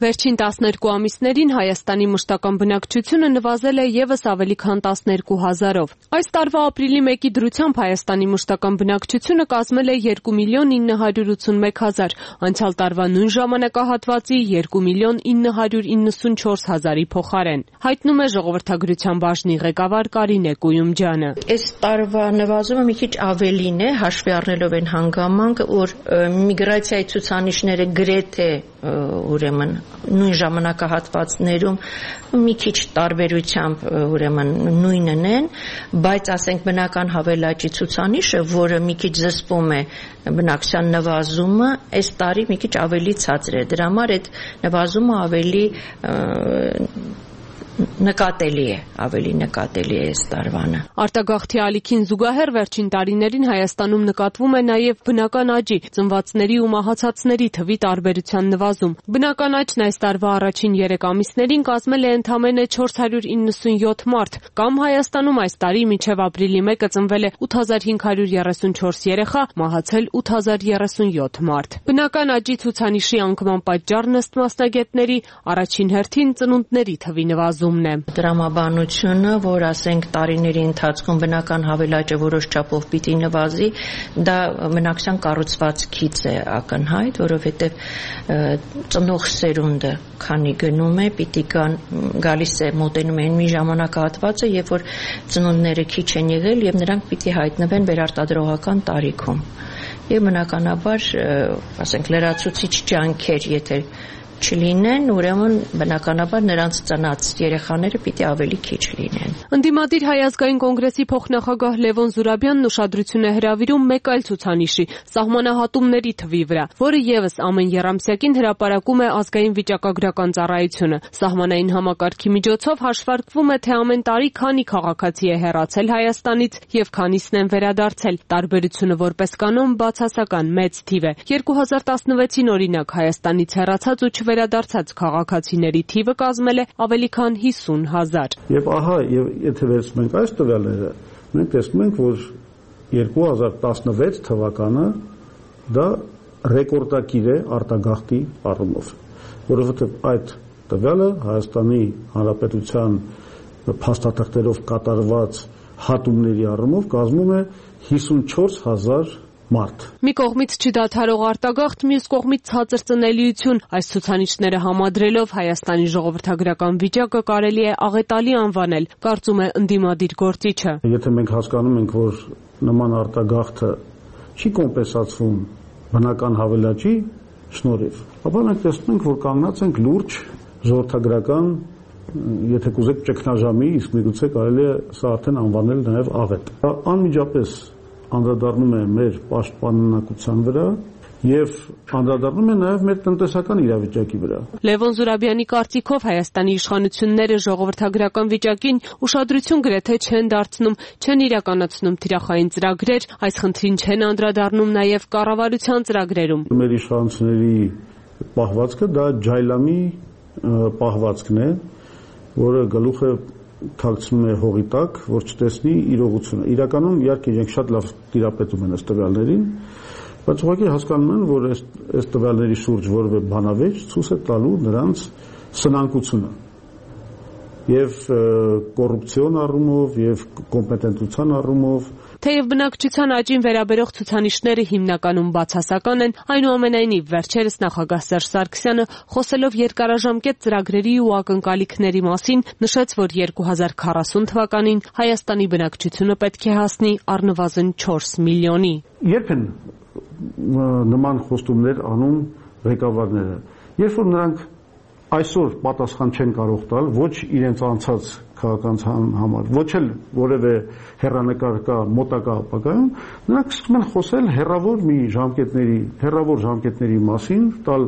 Վերջին 12 ամիսներին Հայաստանի մշտական բնակչությունը նվազել է եւս ավելի քան 12,000-ով։ Այս տարվա ապրիլի 1-ի դրությամբ Հայաստանի մշտական բնակչությունը կազմել է 2,981,000, անցյալ տարվա նույն ժամանակահատվածի 2,994,000-ի փոխարեն։ Հայտնում է Ժողովրդագրության բաժնի ղեկավար Կարինե Կույումջյանը։ Այս տարվա նվազումը մի քիչ ավելին է, հաշվի առնելով այն հանգամանքը, որ միգրացիայի ցուցանիշները գրեթե ուրեմն նույն ժամանակահատվածներում մի քիչ տարբերությամբ ուրեմն նույնն են, բայց ասենք բնական հավելաճի ցուցանիշը, որը մի քիչ զսպում է բնակչության նվազումը, այս տարի մի քիչ ավելի ցածր է։ Դրա համար այդ նվազումը ավելի նկատելի է այս տարվանը։ Արտագաղթի ալիքին զուգահեռ վերջին տարիներին Հայաստանում նկատվում է նաև բնական աճի, ծնվածների ու մահացածների թվի տարբերության նվազում։ Բնական աճն այս տարվա առաջին 3 ամիսներին կազմել է ընդամենը 497 մարդ, կամ Հայաստանում այս տարի մինչև ապրիլի 1-ը ծնվել է 8534 երեխա, մահացել 8037 մարդ։ Բնական աճի ցուցանիշի անկման պատճառն ըստ մասնագետների առաջին հերթին ծնունդների թվի նվազում։ Տրամաբանությունը, որ ասենք տարիների ընթացքում բնական հավելաճը որոշ չափով պիտի նվազի, դա բնակչության կառուցվածքից է ակնհայտ, որովհետև ծնող սերունդը քանի գնում է, պիտի գալիս է մոտենում են մի ժամանակահատվածը, երբ որ ծնունդները քիչ են եղել եւ նրանք պիտի հայտնվեն վերարտադրողական տարիքում։ Եվ բնականաբար, ասենք լրացուցիչ ջանքեր, եթե չլինեն, ուրեմն բնականաբար նրանց ծնած երեխաները պիտի ավելի քիչ լինեն։ Ընդդիմադիր Հայ ազգային կոնգրեսի փոխնախագահ Լևոն Զուրաբյանն ուշադրություն է հրավիրում մեկ այլ ցուցանիշի՝ սահմանահատումների թվի վրա, որը եւս ամեն եռամսյակին հրապարակում է ազգային վիճակագրական ծառայությունը։ Սահմանային համակարգի միջոցով հաշվարկվում է, թե ամեն տարի քանի քաղաքացի է հեռացել Հայաստանից եւ քանիսն են վերադարձել։ Տարբերությունը որպես կանոն բացասական մեծ թիվ է։ 2016-ին օրինակ Հայաստանից հեռացած ու վերադարձած քաղաքացիների թիվը կազմել է ավելի քան 50,000։ Եվ ահա, եթե վերցնենք այս տվյալները, մենք տեսնում ենք, որ 2016 թվականը դա ռեկորդակիր է արտագաղթի առումով, որովհետև այդ տվյալը Հայաստանի Հանրապետության փաստաթղթերով կատարված հատումների առումով կազմում է 54,000 մարդ։ Մի կողմից չդադարող արտագաղթ, մյուս կողմից ցածր ծնելիություն։ Այս ցուցանիշները համադրելով Հայաստանի ժողովրդագրական վիճակը կարելի է աղետալի անվանել, կարծում է ընդդիմադիր գործիչը։ Եթե մենք հասկանում ենք, որ նման արտագաղթը չի կոմպենսացվում բնական հավելաճի շնորհիվ, ապա մենք տեսնում ենք, որ կանգնած ենք լուրջ ժողովրդագրական, եթե կուզեք ճգնաժամի, իսկ միգուցե կարելի է սա արդեն անվանել նաև աղետ։ Անմիջապես անդրադառնում է մեր պաշտպանունակության վրա եւ անդրադառնում է նաեւ մեր տնտեսական իրավիճակի վրա։ Լևոն Զուրաբյանի կարծիքով Հայաստանի իշխանությունները ժողովրդագրական վիճակին ուշադրություն գրեթե չեն դարձնում, չեն իրականացնում թիրախային ծրագրեր, այս խնդրին չեն անդրադառնում նաեւ կառավարության ծրագրերում։ Մեր իշխանությունների պահվածքը դա ջայլամի պահվածքն է, որը գլուխը թաքցնում է հողի տակ, որ չտեսնի իրողությունը։ Իրականում իհարկե իրենք շատ լավ տիրապետում են ըստ տվյալներին, բայց ուղղակի հասկանում են, որ այս տվյալների շուրջ որևէ բանավեճ ցույց է տալու նրանց սնանկությունը եւ կոռուպցիոն առումով եւ կոմպետենտության առումով։ Թեև բնակչության աճին վերաբերող ցուցանիշները հիմնականում բացասական են, այնուամենայնիվ վերջերս նախագահ Սերժ Սարգսյանը խոսելով երկարաժամկետ ծրագրերի ու ակնկալիքների մասին նշեց, որ 2040 թվականին Հայաստանի բնակչությունը պետք է հասնի առնվազն 4 միլիոնի։ Երբ են նման խոստումներ անում ղեկավարները, երբ որ նրանք այսօր պատասխան չեն կարող տալ ոչ իրենց անցած քաղաքական համար, ոչ էլ որևէ հեռանկար կա մոտակա ապագայում, նրանք սկսում են խոսել հեռավոր ժամկետների մասին, տալ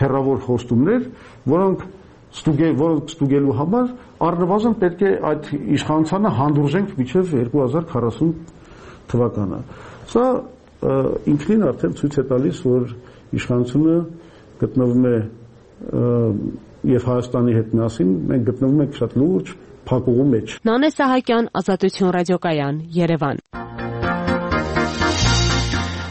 հեռավոր խոստումներ, որոնք ստուգելու համար առնվազն պետք է այդ իշխանությանը հանդուրժենք մինչև 2040 թվականը։ Սա ինքնին արդեն ցույց է տալիս, որ իշխանությունը գտնվում է եւ Հայաստանի հետ միասին մենք գտնվում ենք շատ լուրջ փակուղու մեջ։ Նանե Սահակյան, Ազատություն ռադիոկայան, Երևան։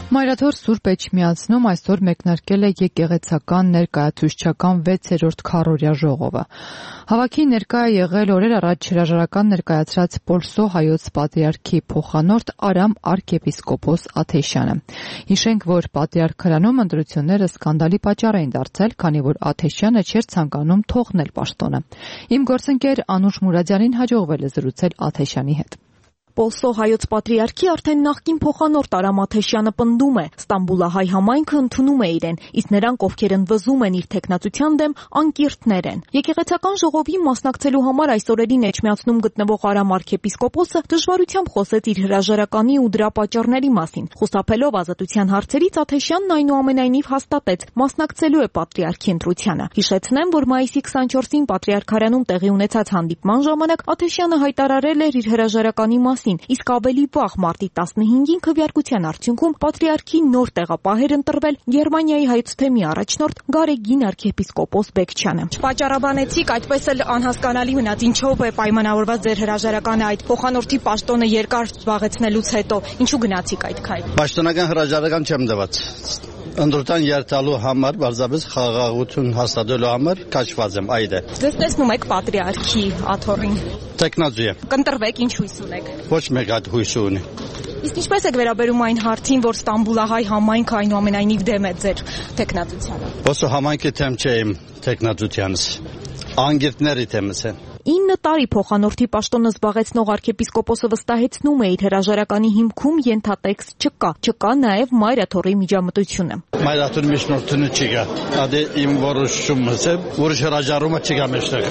Մայրաթոր Սուրբ Էջմիածնում այսօր մեկնարկել է եկեղեցական ներկայացուցչական 6-րդ քառօրյա ժողովը։ Հավաքի ներկա է եղել օրեր առաջ հրաժարական ներկայացրած Պոլսո հայոց պատրիարքի փոխանորդ Արամ arczepiskopos Աթեշյանը։ Հիշենք, որ պատրիարքարանում ընտրությունները սկանդալի պատճառ էին դարձել, քանի որ Աթեշյանը չէր ցանկանում թողնել պաշտոնը։ Իմ գործընկեր Անուշ Մուրադյանին հաջողվել է զրուցել Աթեշյանի հետ։ Պոլսո հայոց պատրիարքի արդեն նախկին փոխանորդ Արամ Աթեշյանը պնդում է, Ստամբուլահայ համայնքը ընդունում է իրեն, իսկ նրանք, ովքեր ընդվզում են իր թեկնածության դեմ, անկիրթներ են։ Եկեղեցական ժողովին մասնակցելու համար այս օրերին Էջմիածնում գտնվող Արամ arczepiskopos-ը դժվարությամբ խոսեց իր հրաժարականի ու դրա պատճառների մասին։ Խուսափելով ազատության հարցերից Աթեշյանն այնուամենայնիվ հաստատեց, մասնակցելու է պատրիարքի ընտրությանը։ Հիշեցնեմ, որ մայիսի 24-ին պատրիարքարանում տեղի ունեցած հանդիպման ժամանակ Աթեշյանը հայտարարել էր իր հրաժարականի մասին, իսկ ավելի վաղ մարտի 15-ին քվեարկության արդյունքում պատրիարքի նոր տեղապահ էր ընտրվել Գերմանիայի հայոց թեմի առաջնորդ Գարեգին arczepiskopos Բեկչյանը։ Չպատճառաբանեցիք, այդպես էլ անհասկանալի մնաց, ինչով է պայմանավորված ձեր հրաժարականը այդ փոխանորդի պաշտոնը երկար զբաղեցնելուց հետո, ինչու գնացիք այդ քայլը։ Պաշտոնական հրաժարական չեմ տված։ Ընդրության երթալու համար, բարձրապես խաղաղություն հաստատելու համար կաչված եմ, այդ է։ Ձեզ տեսնում եք պատրիարքի աթոռին։ Տեխնոջի եմ։ Կընտրվեք, ինչ հույս ունեք։ Ոչ մեկ այդ հույս ունի։ Իսկ ինչպես եք վերաբերում այն հարցին, որ Ստամբուլահայ համայնքը այնուամենայնիվ դեմ է ձեր տեխնատությանը։ Ոսո համայնքի թեմ չէ իմ տեխնատությանս։ Անգիրտների թեմս է։ 9 տարի փոխանորդի պաշտոնը զբաղեցնող arczepiskopos-ը վստահեցնում է իր հրաժարականի հիմքում ենթատեքստ չկա նաև մայրաթոռի միջամտությունը։ Մայրաթոռի միջնորդությունը չկա։ Դա իմ որոշումս է, որ հրաժարումը չկա մեջտեղ։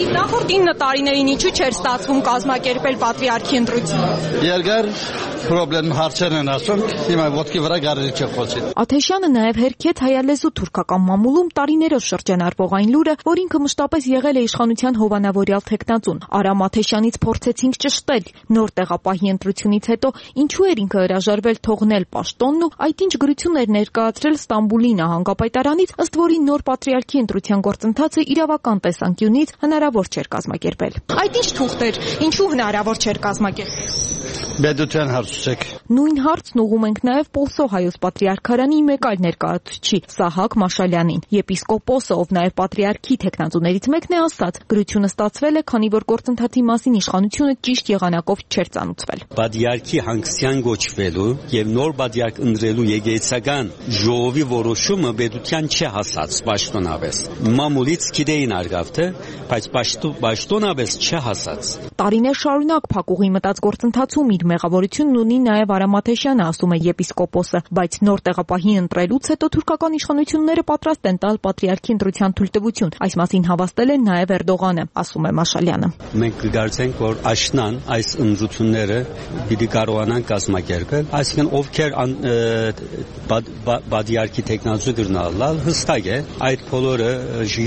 Իսկ նախորդ 9 տարիներին ինչու չէր ստացվում կազմակերպել պատրիարքի ընտրությունը։ Երկար պրոբլեմ հարցեր են ասում, հիմա ոտքի վրա գարելի չէ խոսել։ Աթեշյանը նաև հերքեց հայալեզու թուրքական մամուլում տարիներով շրջանառվող այն լուրը, որ ինքը մշտապես եղել է իշխանության հովանավորյալ թեկնածուն։ Արամ Աթեշյանից փորձեցինք ճշտել նոր տեղապահի ընտրությունից հետո ինչու էր ինքը հրաժարվել թողնել պաշտոնն ու այդ ինչ գրություն էր ներկայացրել Ստամբուլի նահանգապետարանից, ըստ որի նոր պատրիարքի ընտրության գործընթացը իրավական տեսանկյունից հնարավոր չէր կազմակերպել։ Այդ ինչ թուղթ էր, ինչու հնարավոր չէր կազմակերպել։ Բեդության հարցուց Նույն հարցն ուղում ենք նաև Պոլսո հայոց պատրիարքարանի մեկ այլ ներկայացուցչի Սահակ Մաշալյանին։ Եպիսկոպոսը, ով նաև պատրիարքի թեկնածուներից մեկն է, ասաց, գրությունը ստացվել է, քանի որ գործընթացի մասին իշխանությունը ճիշտ եղանակով չէր ծանուցվել։ Պատրիարքի հանգստյան գոչվելու եւ նոր պատրիարք ընտրելու եկեղեցական ժողովի որոշումը բեդության չի հասած պաշտոնապես։ Մամուլից գիտեին արգավթը, բայց պաշտոնապես չի հասած։ Տարիներ շարունակ փակուղի մտած գործընթացում հարցում իր մեղավորությունն ունի նաև Արա Մաթեշյանը, ասում է եպիսկոպոսը, բայց նոր տեղապահի ընտրելուց հետո թուրքական իշխանությունները պատրաստ են տալ պատրիարքի ընտրության թույլտվություն։ Այս մասին հավաստել է նաև Էրդողանը, ասում է Մաշալյանը։ Մենք կգործենք, որ աշնան այս ընտրությունները պիտի կարողանան կազմակերպել, այսինքն ովքեր պատրիարքի տեխնազու գրնալալ հստակ է, այդ բոլորը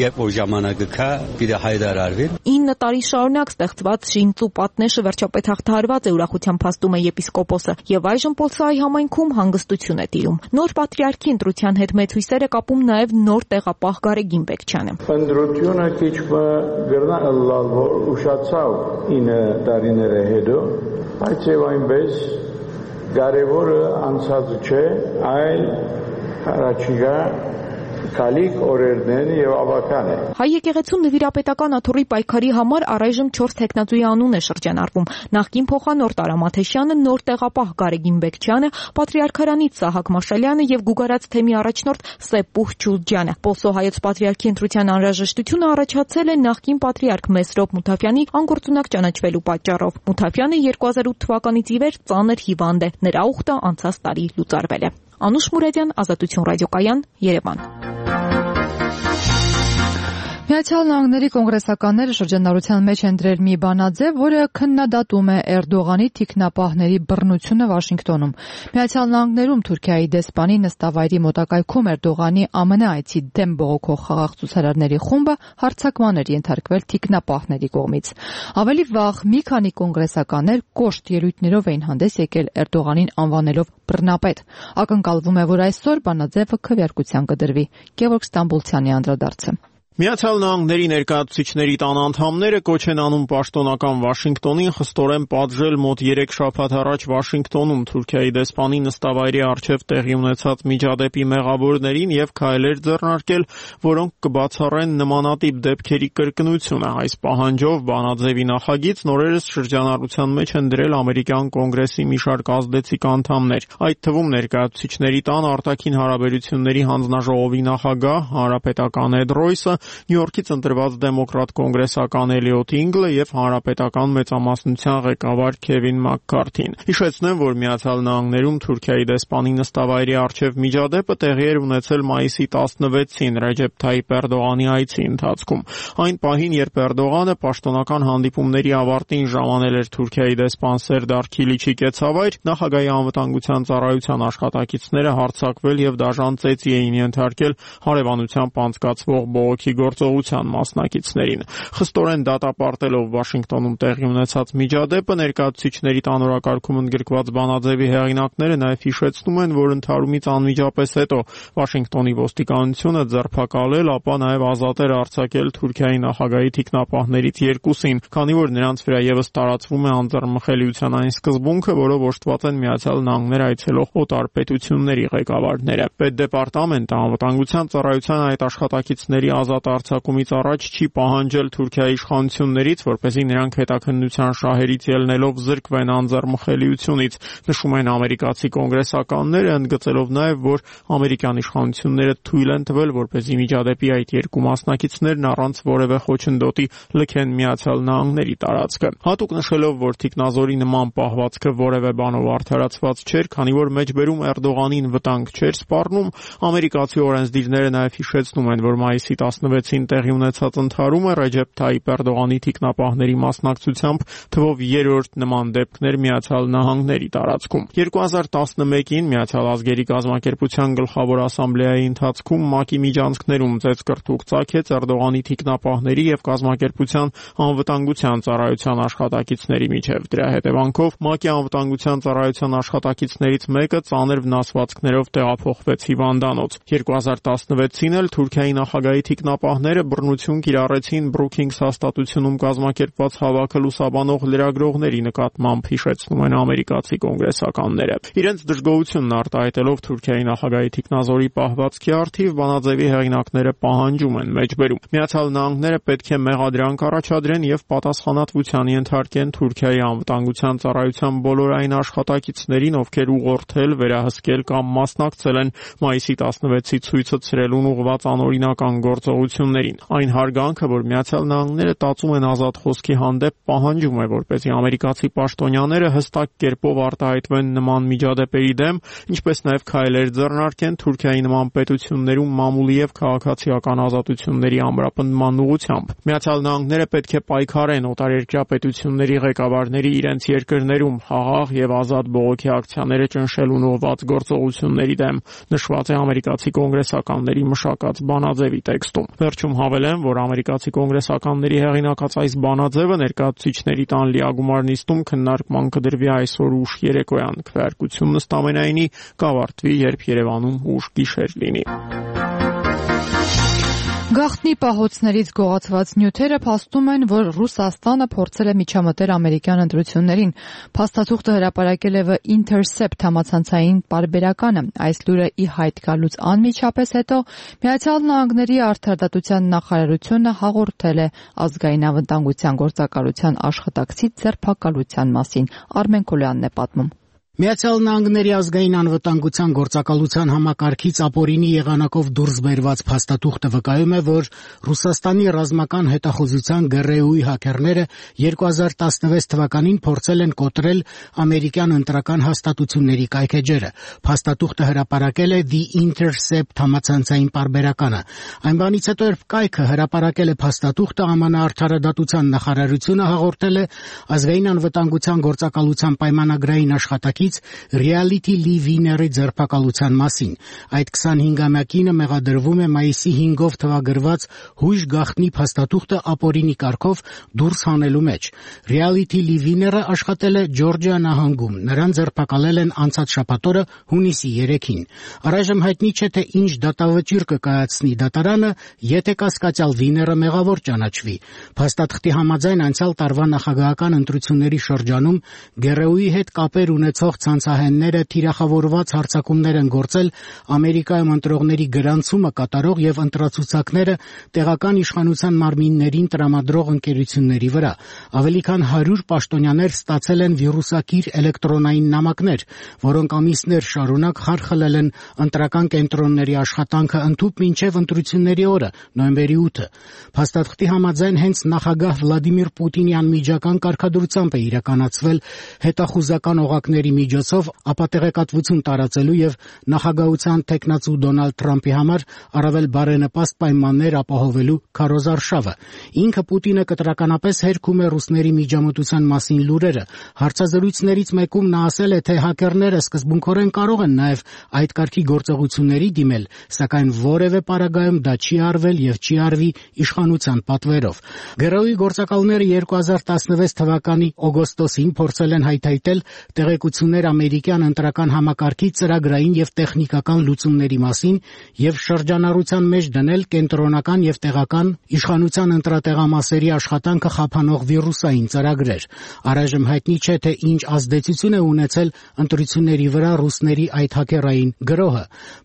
երբ որ ժամանակը կա պիտի հայտարարվի։ 9 տարի շարունակ ստեղծված շինծու պատնեշը վերջապես հաղթահարված է, ուրախությամբ փաստում է եպիսկոպոսը, եւ այժմ Պոլսայի համայնքում հանգստություն է տիրում։ Նոր պատրիարքի ընտրության հետ մեծ հույսեր է կապում նաև նոր տեղապահ Գարեգին Բեկչյանը։ Ընտրությունը քիչ գրնալ ուշացավ 9 տարիները հետո, բայց եւ այնպես կարևորը անցածը չէ, այլ առաջիկա Քալիկ օրերն եւ ավական է։ Հայ եկեղեցու նվիրապետական աթոռի պայքարի համար առայժմ 4 տեխնատուի անուն է շրջանառվում։ Նախկին փոխանորդ Արա Մաթեշյանը, նոր տեղապահ Գարեգին Բեկչյանը, պատրիարքարանից Սահակ Մաշալյանը եւ Գուգարաց թեմի առաջնորդ Սեպուհ Ջուլջյանը։ Պոլսո հայոց պատրիարքի ընտրության անհրաժեշտությունը առաջացել է նախկին պատրիարք Մեսրոպ Մութաֆյանի անգործունակ ճանաչվելու պատճառով։ Մութաֆյանը 2008 թվականից ի վեր ծանր հիվանդ է։ Նրա ուխտը անցած տարի լուծարվել է։ Անուշ Մուրադյան, Ազատություն ռադիոկայան, Երևան։ Միացյալ Նահանգների կոնգրեսականները շրջանառության մեջ են դրել մի բանաձև, որը քննադատում է Էրդողանի թիկնապահների բռնությունը Վաշինգտոնում։ Միացյալ Նահանգներում Թուրքիայի դեսպանի նստավայրի մոտակայքում Էրդողանի ԱՄՆ այցի դեմ բողոքող խաղաղ ցուցարարների խումբը հարձակման էր ենթարկվել թիկնապահների կողմից։ Ավելի վաղ մի քանի կոնգրեսականներ կոշտ ելույթներով էին հանդես եկել Էրդողանին անվանելով բռնապետ։ Ակնկալվում է, որ այսօր բանաձևը քվեարկության կդրվի։ Գևորգ Ստամբուլցյանի անդրադարձը։ Միացյալ Նահանգների ներկայացուցիչների տան անդամները կոչ են անում պաշտոնական Վաշինգտոնին խստորեն պատժել մոտ 3 շաբաթ առաջ Վաշինգտոնում Թուրքիայի դեսպանի նստավայրի առջև տեղի ունեցած միջադեպի մեղավորներին եւ քայլեր ձեռնարկել, որոնք կբացառեն նմանատիպ դեպքերի կրկնությունը։ Այս պահանջով բանաձևի նախագիծ նորերս շրջանառության մեջ են դրել ամերիկյան կոնգրեսի մի շարք ազդեցիկ անդամներ, այդ թվում ներկայացուցիչների տան արտաքին հարաբերությունների հանձնաժողովի նախագահ, հանրապետական Էդ Ռոյսը, Նյու Յորքից ընտրված դեմոկրատ կոնգրեսական Էլիոտ Ինգլը եւ հանրապետական մեծամասնության ղեկավար Քևին Մաքքարթին։ Հիշեցնեմ, որ Միացյալ Նահանգներում Թուրքիայի դեսպանի նստավայրի առջև միջադեպը տեղի էր ունեցել մայիսի 16-ին Ռեջեփ Թայիփ Էրդողանի այցի ընթացքում։ Այն պահին, երբ Էրդողանը պաշտոնական հանդիպումների ավարտին ժամանել էր Թուրքիայի դեսպան Սերդար Քիլիչի կեցավայր, նախագահի անվտանգության ծառայության աշխատակիցները հարձակվել եւ դաժան ծեծի էին ենթարկել հարևանությամբ անցկացվող բողոքի գործողության մասնակիցներին։ Խստորեն դատապարտելով Վաշինգտոնում տեղի ունեցած միջադեպը, ներկայացուցիչների տան օրակարգում ընդգրկված բանաձևի հեղինակները նաև հիշեցնում են, որ ընդհարումից անմիջապես հետո Վաշինգտոնի ոստիկանությունը ձերբակալել, ապա նաև ազատ էր արձակել Թուրքիայի նախագահի թիկնապահներից 2-ին, քանի որ նրանց վրա եւս տարածվում է անձեռմխելիության այն սկզբունքը, որով օժտված են Միացյալ Նահանգներ այցելող օտար պետությունների ղեկավարները։ Պետդեպարտամենտը անվտանգության ծառայության այդ աշխատակիցների ազատ արձակումից առաջ չի պահանջել Թուրքիայի իշխանություններից, որպեսզի նրանք հետաքննության շահերից ելնելով զրկվեն անձեռմխելիությունից, նշում են ամերիկացի կոնգրեսականները, ընդգծելով նաև, որ ամերիկյան իշխանությունները թույլ են տվել, որպեսզի միջադեպի այդ երկու մասնակիցներն առանց որևէ խոչընդոտի լքեն Միացյալ Նահանգների տարածքը։ Հատուկ նշելով, որ թիկնազորի նման պահվածքը որևէ բանով արդարացված չէր, քանի որ մեջբերում Էրդողանին վտանգ չէր սպառնում, ամերիկացի օրենսդիրները նաև հիշեցնում են, որ մայիսի 16-ին տեղի ունեցած ընդհարումը Ռեջեփ Թայիփ Էրդողանի թիկնապահների մասնակցությամբ թվով երրորդ նման դեպքներ Միացյալ Նահանգների տարածքում։ 2011-ին Միացյալ ազգերի կազմակերպության գլխավոր ասամբլեայի ընթացքում ՄԱԿ-ի միջանցքներում ծեծկրտուկ ծագեց Էրդողանի թիկնապահների եւ կազմակերպության անվտանգության ծառայության աշխատակիցների միջև։ Դրա հետևանքով ՄԱԿ-ի անվտանգության ծառայության աշխատակիցներից մեկը ծանր վնասվածքներով տեղափոխվեց հիվանդանոց։ 2016-ին էլ Թուրքիայի նախագահի թիկնապահները բռնություն կիրառեցին Բրուքինգս հաստատությունում կազմակերպված հավաքը լուսաբանող լրագրողների նկատմամբ, հիշեցնում են ամերիկացի կոնգրեսականները։ Իրենց դժգոհությունն արտահայտելով Թուրքիայի նախագահի թիկնազորի պահվածքի առթիվ բանաձևի հեղինակները պահանջում են մեջբերում։ Միացյալ Նահանգները պետք է մեղադրանք առաջադրեն եւ պատասխանատվության ենթարկեն Թուրքիայի անվտանգության ծառայության բոլոր այն աշխատակիցներին, ովքեր ուղղորդել, վերահսկել կամ մասնակցել են մայիսի 16-ի ցույցը ցրելուն ուղղված անօրինական գործողության պետություններին։ Այն հարգանքը, որ Միացյալ Նահանգները տածում են ազատ խոսքի հանդեպ, պահանջում է, որպեսզի ամերիկացի պաշտոնյաները հստակ կերպով արտահայտվեն նման միջադեպերի դեմ, ինչպես նաև քայլեր ձեռնարկեն Թուրքիայի նման պետություններում մամուլի եւ քաղաքացիական ազատությունների ամրապնդման ուղղությամբ։ Միացյալ Նահանգները պետք է պայքարեն օտարերկրյա պետությունների ղեկավարների իրենց երկրներում խաղաղ եւ ազատ բողոքի ակցիաները ճնշելուն ուղղված գործողությունների դեմ, նշված է ամերիկացի կոնգրեսականների մշակած բանաձևի տեքստում։ Վերջում հավելեմ, որ ամերիկացի կոնգրեսականների հեղինակած այս բանաձևը ներկայացուցիչների տան լիագումար նիստում քննարկման կդրվի այսօր ուշ երեկոյան։ Քվեարկությունն ըստ ամենայնի կավարտվի, երբ Երևանում ուշ գիշեր լինի։ Գաղտնի պահոցներից գողացված նյութերը փաստում են, որ Ռուսաստանը փորձել է միջամտել ամերիկյան ընտրություններին։ Փաստաթուղթը հրապարակել է The Intercept համացանցային պարբերականը։ Այս լուրը ի հայտ գալուց անմիջապես հետո Միացյալ Նահանգների արդարադատության նախարարությունը հաղորդել է ազգային անվտանգության գործակալության աշխատակցի ձերբակալության մասին։ Արմեն Կոլյանն է պատմում։ Միացյալ Նահանգների ազգային անվտանգության գործակալության համակարգից ապօրինի եղանակով դուրս բերված փաստաթուղթը վկայում է, որ Ռուսաստանի ռազմական հետախուզության ԳՌՈ-ի հաքերները 2016 թվականին փորձել են կոտրել ամերիկյան ընտրական հաստատությունների կայքէջերը։ Փաստաթուղթը հրապարակել է The Intercept համացանցային պարբերականը։ Այն բանից հետո, երբ կայքը հրապարակել է փաստաթուղթը, ԱՄՆ արդարադատության նախարարությունը հաղորդել է ազգային անվտանգության գործակալության պայմանագրային աշխատակից Reality Winner-ի ձերբակալության մասին։ Այդ 25-ամյակինը մեղադրվում է մայիսի 5-ով թվագրված հույժ գաղտնի փաստաթուղթը ապօրինի կարգով դուրս հանելու մեջ։ Reality Winner-ը աշխատել է Ջորջիա նահանգում։ Նրան ձերբակալել են անցած շաբաթօրը հունիսի 3-ին։ Առայժմ հայտնի չէ, թե ինչ դատավճիռ կկայացնի դատարանը, եթե կասկածյալ Winner-ը մեղավոր ճանաչվի։ Փաստաթղթի համաձայն անցյալ տարվա նախագահական ընտրությունների շրջանում ԳՌՈ-ի հետ կապեր ունեցող ցանցահենները թիրախավորված հարձակումներ են գործել Ամերիկայում ընտրողների գրանցումը կատարող եւ ընտրացուցակները տեղական իշխանության մարմիններին տրամադրող ընկերությունների վրա։ Ավելի քան 100 պաշտոնյաներ ստացել են վիրուսակիր էլեկտրոնային նամակներ, որոնք ամիսներ շարունակ խարխլել են ընտրական կենտրոնների աշխատանքը ընդհուպ մինչև ընտրությունների օրը, նոյեմբերի 8-ը։ Փաստաթղթի համաձայն հենց նախագահ Վլադիմիր Պուտինի անմիջական կարգադրությամբ է իրականացվել հետախուզական օղակների միջոցով ապատեղեկատվություն տարածելու եւ նախագահության թեկնածու Դոնալդ Թրամփի համար առավել բարենպաստ պայմաններ ապահովելու քարոզարշավը։ Ինքը Պուտինը կտրականապես հերքում է ռուսների միջամտության մասին լուրերը։ Հարցազրույցներից մեկում նա ասել է, թե հակերները սկզբունքորեն կարող են նաեւ այդ կարգի գործողությունների դիմել, սակայն որևէ պարագայում դա չի արվել եւ չի արվի իշխանության պատվերով։ ԳՌՕ-ի գործակալները 2016 թվականի օգոստոսին փորձել են հայթայթել տեղեկություններ ամերիկյան ընտրական համակարգի ծրագրային եւ տեխնիկական լուծումների մասին եւ շրջանառության մեջ դնել կենտրոնական եւ տեղական իշխանության ընտրատեղամասերի աշխատանքը խափանող վիրուսային ծրագրեր։ Առայժմ հայտնի չէ, թե ինչ ազդեցություն է ունեցել ընտրությունների վրա ռուսների այդ հակերային գրոհը։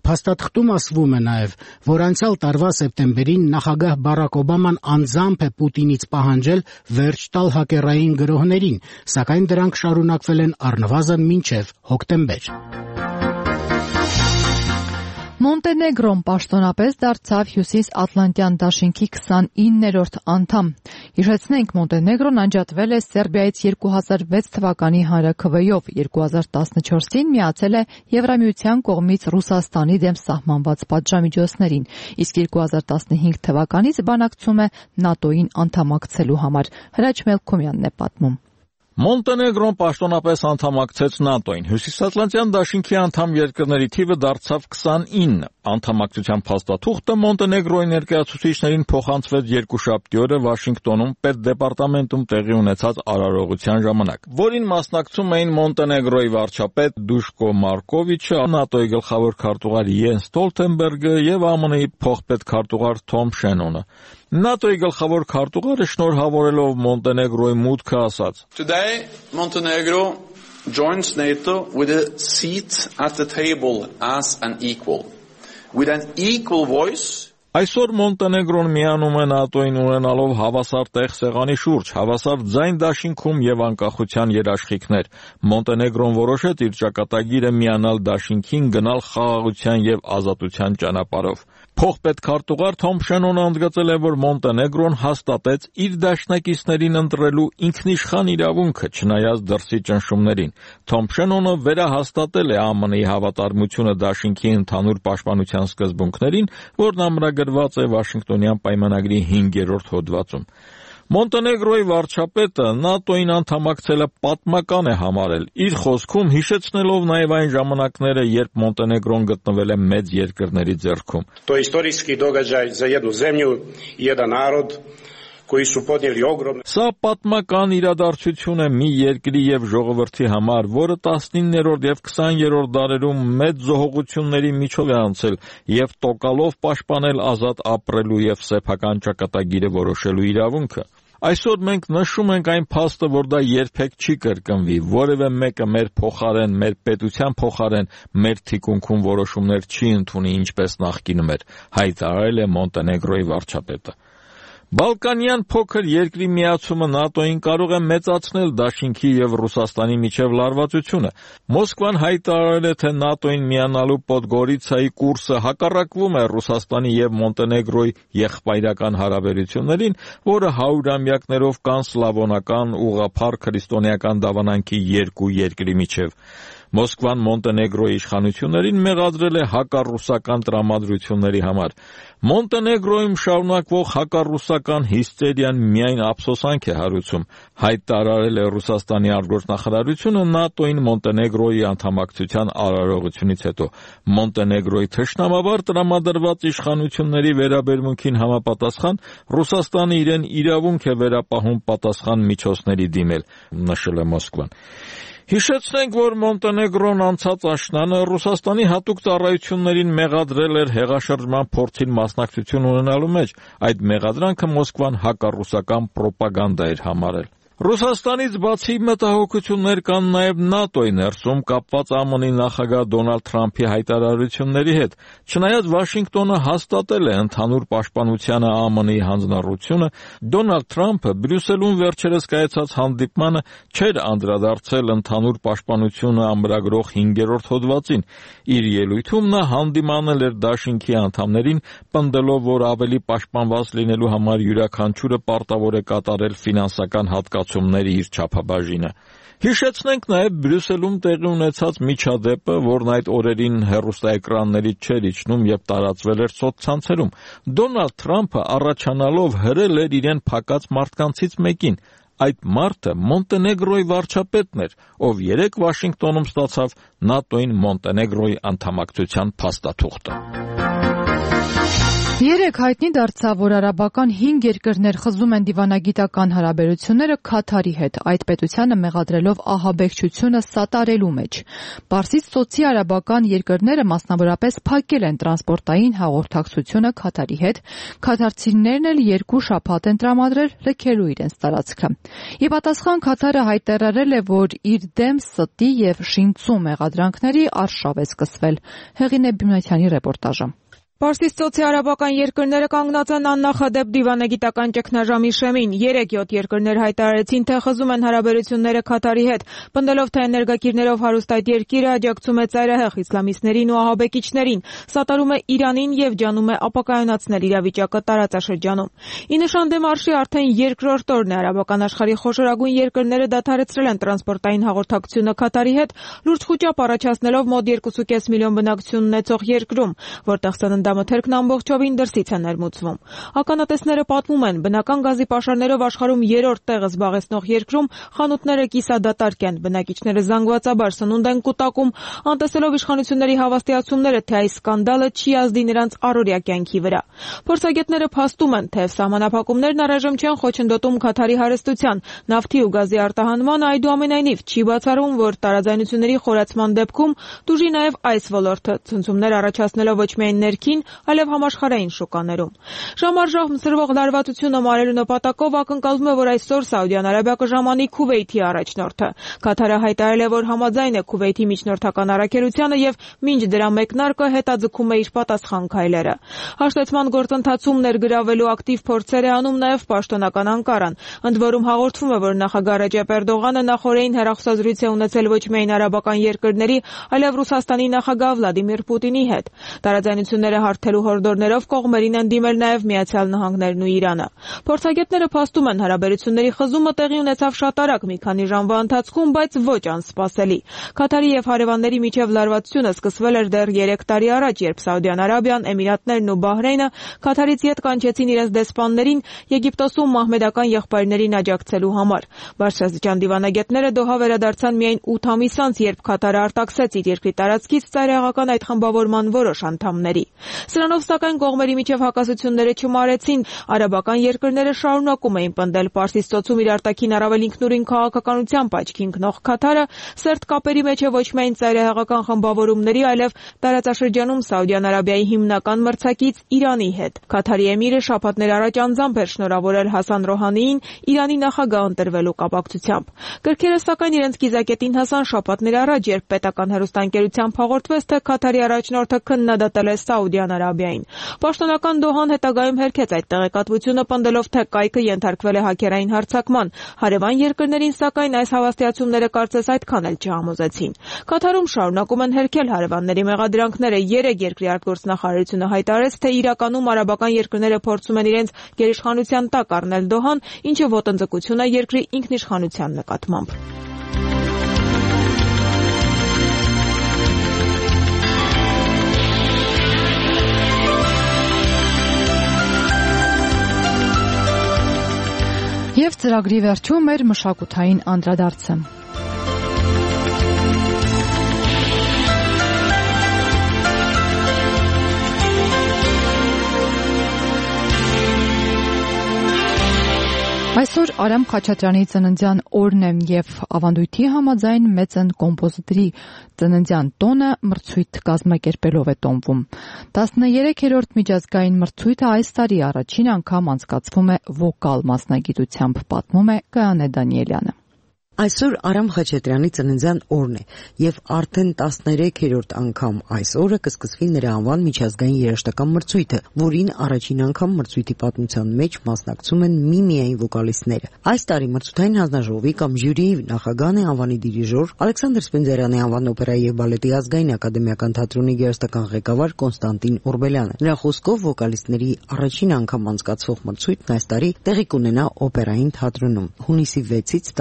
Փաստաթղթում ասվում է նաեւ, որ անցյալ տարվա սեպտեմբերին նախագահ Բարակ Օբաման անձամբ է Պուտինից պահանջել վերջ տալ հակերային գրոհներին, սակայն դրանք շարունակվել են առնվազն մինչև հոկտեմբեր։ Մոնտենեգրոն պաշտոնապես դարձավ Հյուսիսատլանտյան դաշինքի 29-րդ անդամ։ Հիշեցնենք, Մոնտենեգրոն անջատվել է Սերբիայից 2006 թվականի հանրաքվեով, 2014-ին միացել է Եվրամիության կողմից Ռուսաստանի դեմ սահմանված պատժամիջոցներին, իսկ 2015 թվականից բանակցում է ՆԱՏՕ-ին անդամակցելու համար։ Հրաչ Մելքոմյանն է պատմում։ Մոնտենեգրոն պաշտոնապես անդամակցեց ՆԱՏՕ-ին։ Հյուսիսատլանտյան դաշինքի անդամ երկրների թիվը դարձավ 29։ Անդամակցության փաստաթուղթը Մոնտենեգրոյի ներկայացուցիչներին փոխանցվեց երկուշաբթի օրը Վաշինգտոնում պետդեպարտամենտում տեղի ունեցած արարողության ժամանակ, որին մասնակցում էին Մոնտենեգրոյի վարչապետ Դուշկո Մարկովիչը, ՆԱՏՕ-ի գլխավոր քարտուղար Յենս Ստոլտենբերգը եւ ԱՄՆ-ի փոխպետքարտուղար Թոմ Շենոնը։ ՆԱՏՕ-ի գլխավոր քարտուղարը շնորհավորելով Մոնտենեգրոյի մուտքը ասաց. Today Montenegro joins NATO with a seat at the table as an equal, with an equal voice. Այսօր Մոնտենեգրոն միանում է ՆԱՏՕ-ին ունենալով հավասար տեղ սեղանի շուրջ, հավասար ձայն դաշինքում եւ անկախության երաշխիքներ։ Մոնտենեգրոն որոշեց իր ճակատագիրը միանալ դաշինքին, գնալ խաղաղության եւ ազատության ճանապարհով։ Փոխպետքարտուղար Թոմ Շենոնը ընդգծել է, որ Մոնտենեգրոն հաստատեց իր դաշնակիցներին ընտրելու ինքնիշխան իրավունքը, չնայած դրսի ճնշումներին։ Թոմ Շենոնը վերահաստատել է ԱՄՆ-ի հավատարմությունը դաշինքի ընդհանուր պաշտպանության սկզբունքներին, որն ամրագրված է Վաշինգտոնյան պայմանագրի 5-րդ հոդվածում։ Մոնտենեգրոյի վարչապետը ՆԱՏՕ-ին անդամակցելը պատմական է համարել, իր խոսքում հիշեցնելով նաև այն ժամանակները, երբ Մոնտենեգրոն գտնվել է մեծ երկրների ձեռքում։ То исторический догаджай за jednu zemlju и jedan народ, koji su podnijeli огромne. Սա պատմական իրադարձություն է մի երկրի եւ ժողովրդի համար, որը 19-րդ եւ 20-րդ դարերում մեծ զոհողությունների միջով է անցել եւ տոկալով պաշտպանել ազատ ապրելու եւ սեփական ճակատագիրը որոշելու իրավունքը։ Այսօր մենք նշում ենք այն փաստը, որ դա երբեք չի կրկնվի, որևէ մեկը մեր փոխարեն, մեր պետության փոխարեն, մեր թիկունքում որոշումներ չի ընդունի ինչպես նախկինում էր, հայտարարել է Մոնտենեգրոյի վարչապետը։ Բալկանյան փոքր երկրի միացումը ՆԱՏՕ-ին կարող է մեծացնել դաշինքի եւ Ռուսաստանի միջև լարվածությունը։ Մոսկվան հայտարարել է, թե ՆԱՏՕ-ին միանալու Պոդգորիցայի կուրսը հակառակվում է Ռուսաստանի եւ Մոնտենեգրոյի եղբայրական հարաբերություններին, որը 100-ամյակներով կան սլավոնական ուղղափառ քրիստոնեական դավանանքի երկու երկրի միջև։ Մոսկվան Մոնտենեգրոյի իշխանություններին մեղադրել է հակառուսական տրամադրությունների համար։ Մոնտենեգրոյում շարունակվող հակառուսական հիստերիան միայն ափսոսանք է հարուցում, հայտարարել է Ռուսաստանի արտգործնախարարությունը ՆԱՏՕ-ին Մոնտենեգրոյի անդամակցության արարողությունից հետո։ Մոնտենեգրոյի թշնամաբար տրամադրված իշխանությունների վերաբերմունքին համապատասխան Ռուսաստանը իրեն իրավունք է վերապահում պատասխան միջոցների դիմել, նշել է Մոսկվան։ Հիշեցնենք, որ Մոնտենեգրոն անցած աշնանը Ռուսաստանի հատուկ ծառայություններին մեղադրել էր հեղաշրջման փորձին մասնակցություն ունենալու մեջ, այդ մեղադրանքը Մոսկվան հակառուսական պրոպագանդա էր համարել։ Ռուսաստանից բացի մտահոգություններ կան նաև ՆԱՏՕ-ի ներսում կապված ԱՄՆ-ի նախագահ Դոնալդ Թրամփի հայտարարությունների հետ։ Չնայած Վաշինգտոնը հաստատել է ընդհանուր պաշտպանությանը ԱՄՆ-ի հանձնառությունը, Դոնալդ Թրամփը Բրյուսելում վերջերս կայացած հանդիպմանը չէր անդրադարձել ընդհանուր պաշտպանությունը ամրագրող 5-րդ հոդվածին։ Իր ելույթում նա հանդիմանել էր դաշինքի անդամներին, պնդելով, որ ավելի պաշտպանված լինելու համար յուրաքանչյուրը պարտավոր է կատարել ֆինանսական հատկացումների իր չափաբաժինը։ Հիշեցնենք նաև Բրյուսելում տեղի ունեցած միջադեպը, որն այդ օրերին հեռուստաէկրաններից չէր իջնում եւ տարածվել էր սոցցանցերում։ Դոնալդ Թրամփը առաջանալով հրել էր իրեն փակած մարդկանցից մեկին։ Այդ մարդը Մոնտենեգրոյի վարչապետն էր, ով երեկ Վաշինգտոնում ստացավ ՆԱՏՕ-ին Մոնտենեգրոյի անդամակցության փաստաթուղթը։ Երեկ հայտնի դարձավ, որ արաբական 5 երկրներ խզում են դիվանագիտական հարաբերությունները Քաթարի հետ, այդ պետությանը մեղադրելով ահաբեկչությունը սատարելու մեջ։ Պարսից ծոցի արաբական երկրները մասնավորապես փակել են տրանսպորտային հաղորդակցությունը Քաթարի հետ, քաթարցիներն էլ 2 շաբաթ են տրամադրել լքելու իրենց տարածքը։ Ի պատասխան Քաթարը հայտարարել է, որ իր դեմ ստի եւ շինծու մեղադրանքների արշավ է սկսվել։ Հեղինե Բիմնաթյանի ռեպորտաժը։ Պարսից ծոցի արաբական երկրները կանգնած են աննախադեպ դիվանագիտական ճգնաժամի շեմին։ 3-7 երկրներ հայտարարեցին, թե խզում են հարաբերությունները Քաթարի հետ, պնդելով, թե էներգակիրներով հարուստ այդ երկիրը աջակցում է ծայրահեղ իսլամիստներին ու ահաբեկիչներին, սատարում է Իրանին եւ ջանում է ապակայունացնել իրավիճակը տարածաշրջանում։ Ի նշան դեմարշի արդեն երկրորդ օրն է արաբական աշխարհի խոշորագույն երկրները դադարեցրել են տրանսպորտային հաղորդակցությունը Քաթարի հետ, լուրջ խուճապ առաջացնելով մոտ 2.5 միլիոն բնակչություն ունեցող երկրում, որտեղ մթերքն ամբողջովին դրսից է ներմուծվում։ Ականատեսները պատմում են, բնական գազի պաշարներով աշխարհում 3-րդ տեղը զբաղեցնող երկրում խանութները կիսադատարկ են, բնակիչները զանգվածաբար սնունդ են կուտակում, անտեսելով իշխանությունների հավաստիացումները, թե այս սկանդալը չի ազդի նրանց առօրյա կյանքի վրա։ Փորձագետները փաստում են, թե սահմանափակումներն առայժմ չեն խոչընդոտում Քաթարի հարստության, նավթի ու գազի արտահանմանը, այդուամենայնիվ չի բացառում, որ տարաձայնությունների խորացման դեպքում տուժի նաև այս ոլորտը, ցնցումներ առաջացնելով ոչ միայն ներքին, այլև համաշխարհային շուկաներում։ Ժամ առ ժամ սրվող լարվածությունը մարելու նպատակով ակնկալվում է, որ այսօր Սաուդյան Արաբիա կժամանի Քուվեյթի առաջնորդը։ Քաթարը հայտարարել է, որ համաձայն է Քուվեյթի միջնորդական առաքելությանը եւ մինչ դրա մեկնարկը հետաձգում է իր պատասխան քայլերը։ Հաշտեցման գործընթացում ներգրավելու ակտիվ փորձեր է անում նաեւ պաշտոնական Անկարան։ Ընդ որում հաղորդվում է, որ նախագահ Ռեջեփ Էրդողանը նախորդին հեռախոսազրույց է ունեցել ոչ միայն արաբական երկրների, այլև Ռուսաստանի նախագահ Վլադիմիր Պուտինի հետ։ Տարաձայնությունները հարթելու հորդորներով կողմերին են դիմել նաև Միացյալ Նահանգներն ու Իրանը։ Փորձագետները փաստում են, հարաբերությունների խզումը տեղի ունեցավ շատ արագ մի քանի ժամվա ընթացքում, բայց ոչ անսպասելի։ Կատարի եւ հարևանների միջև լարվածությունը սկսվել էր դեռ 3 տարի առաջ, երբ Սաուդյան Արաբիան, Էմիրատներն ու Բահրեյնը Կատարից ետ կանչեցին իրենց դեսպաններին Եգիպտոսում մահմեդական եղբայրներին աջակցելու համար։ Բարձրաստիճան դիվանագետները Դոհա վերադարձան միայն 8 ամիս անց, երբ Կատարը արտաքսեց իր երկրի տարածքից ծայրահեղական այդ խմբավորման որոշ անդամների։ Սրանով սակայն կողմերի միջև հակասությունները չմարեցին։ Արաբական երկրները շարունակում էին պնդել Պարսից ծոցում իր արտաքին առավել ինքնուրույն քաղաքականությամբ աչքի ընկնող Կատարը սերտ կապերի մեջ է ոչ միայն ծայրահեղական խմբավորումների, այլև տարածաշրջանում Սաուդյան Արաբիայի հիմնական մրցակից Իրանի հետ։ Կատարի էմիրը շաբաթներ առաջ անձամբ էր շնորհավորել Հասան Ռոհանիին Իրանի նախագահ ընտրվելու կապակցությամբ։ Կրքերը սակայն իրենց կիզակետին հասան շաբաթներ առաջ, երբ պետական հեռուստաընկերությամբ հաղորդվեց, թե Կատարի առաջնորդը քննադատել է Սաուդյան Արաբիային։ Պաշտոնական Դոհան հետագայում հերքեց այդ տեղեկատվությունը, պնդելով, թե կայքը ենթարկվել է հաքերային հարձակման։ Հարևան երկրներին սակայն այս հավաստիացումները կարծես այդքան էլ չհամոզեցին։ Կատարում շարունակում են հերքել հարևանների մեղադրանքները։ 3 երկրի արտգործնախարարությունը հայտարարեց, թե իրականում արաբական երկրները փորձում են իրենց գերիշխանության տակ առնել Դոհան, ինչը ոտնձգություն է երկրի ինքնիշխանության նկատմամբ։ Եվ ծրագրի վերջում մեր մշակութային անդրադարձը։ Այսօր Արամ Խաչատրյանի ծննդյան օրն է եւ ավանդույթի համաձայն մեծն կոմպոզիտորի ծննդյան տոնը մրցույթ կազմակերպելով է տոնվում։ 13-րդ միջազգային մրցույթը այս տարի առաջին անգամ անցկացվում է վոկալ մասնագիտությամբ, պատմում է Գայանե Դանիելյանը։ Այսօր Արամ Խաչատրյանի ծննդյան օրն է եւ արդեն 13-րդ անգամ այս օրը կսկսվի նրա անվան միջազգային երաժշտական մրցույթը, որին առաջին անգամ մրցույթի պատմության մեջ մասնակցում են միմիային վոկալիստները։ Այս տարի մրցութային հանձնաժողովի կամ ժյուրիի նախագահն է անվանի դիրիժոր Ալեքսանդր Սպենդիարյանի անվան օպերայի եւ բալետի ազգային ակադեմիական թատրոնի երաժշտական ղեկավար Կոնստանտին Օրբելյանը։ Նրա խոսքով վոկալիստների առաջին անգամ անցկացվող մրցույթն այս տարի տեղի կունենա օպերային թատրոնում հունիսի 6-ից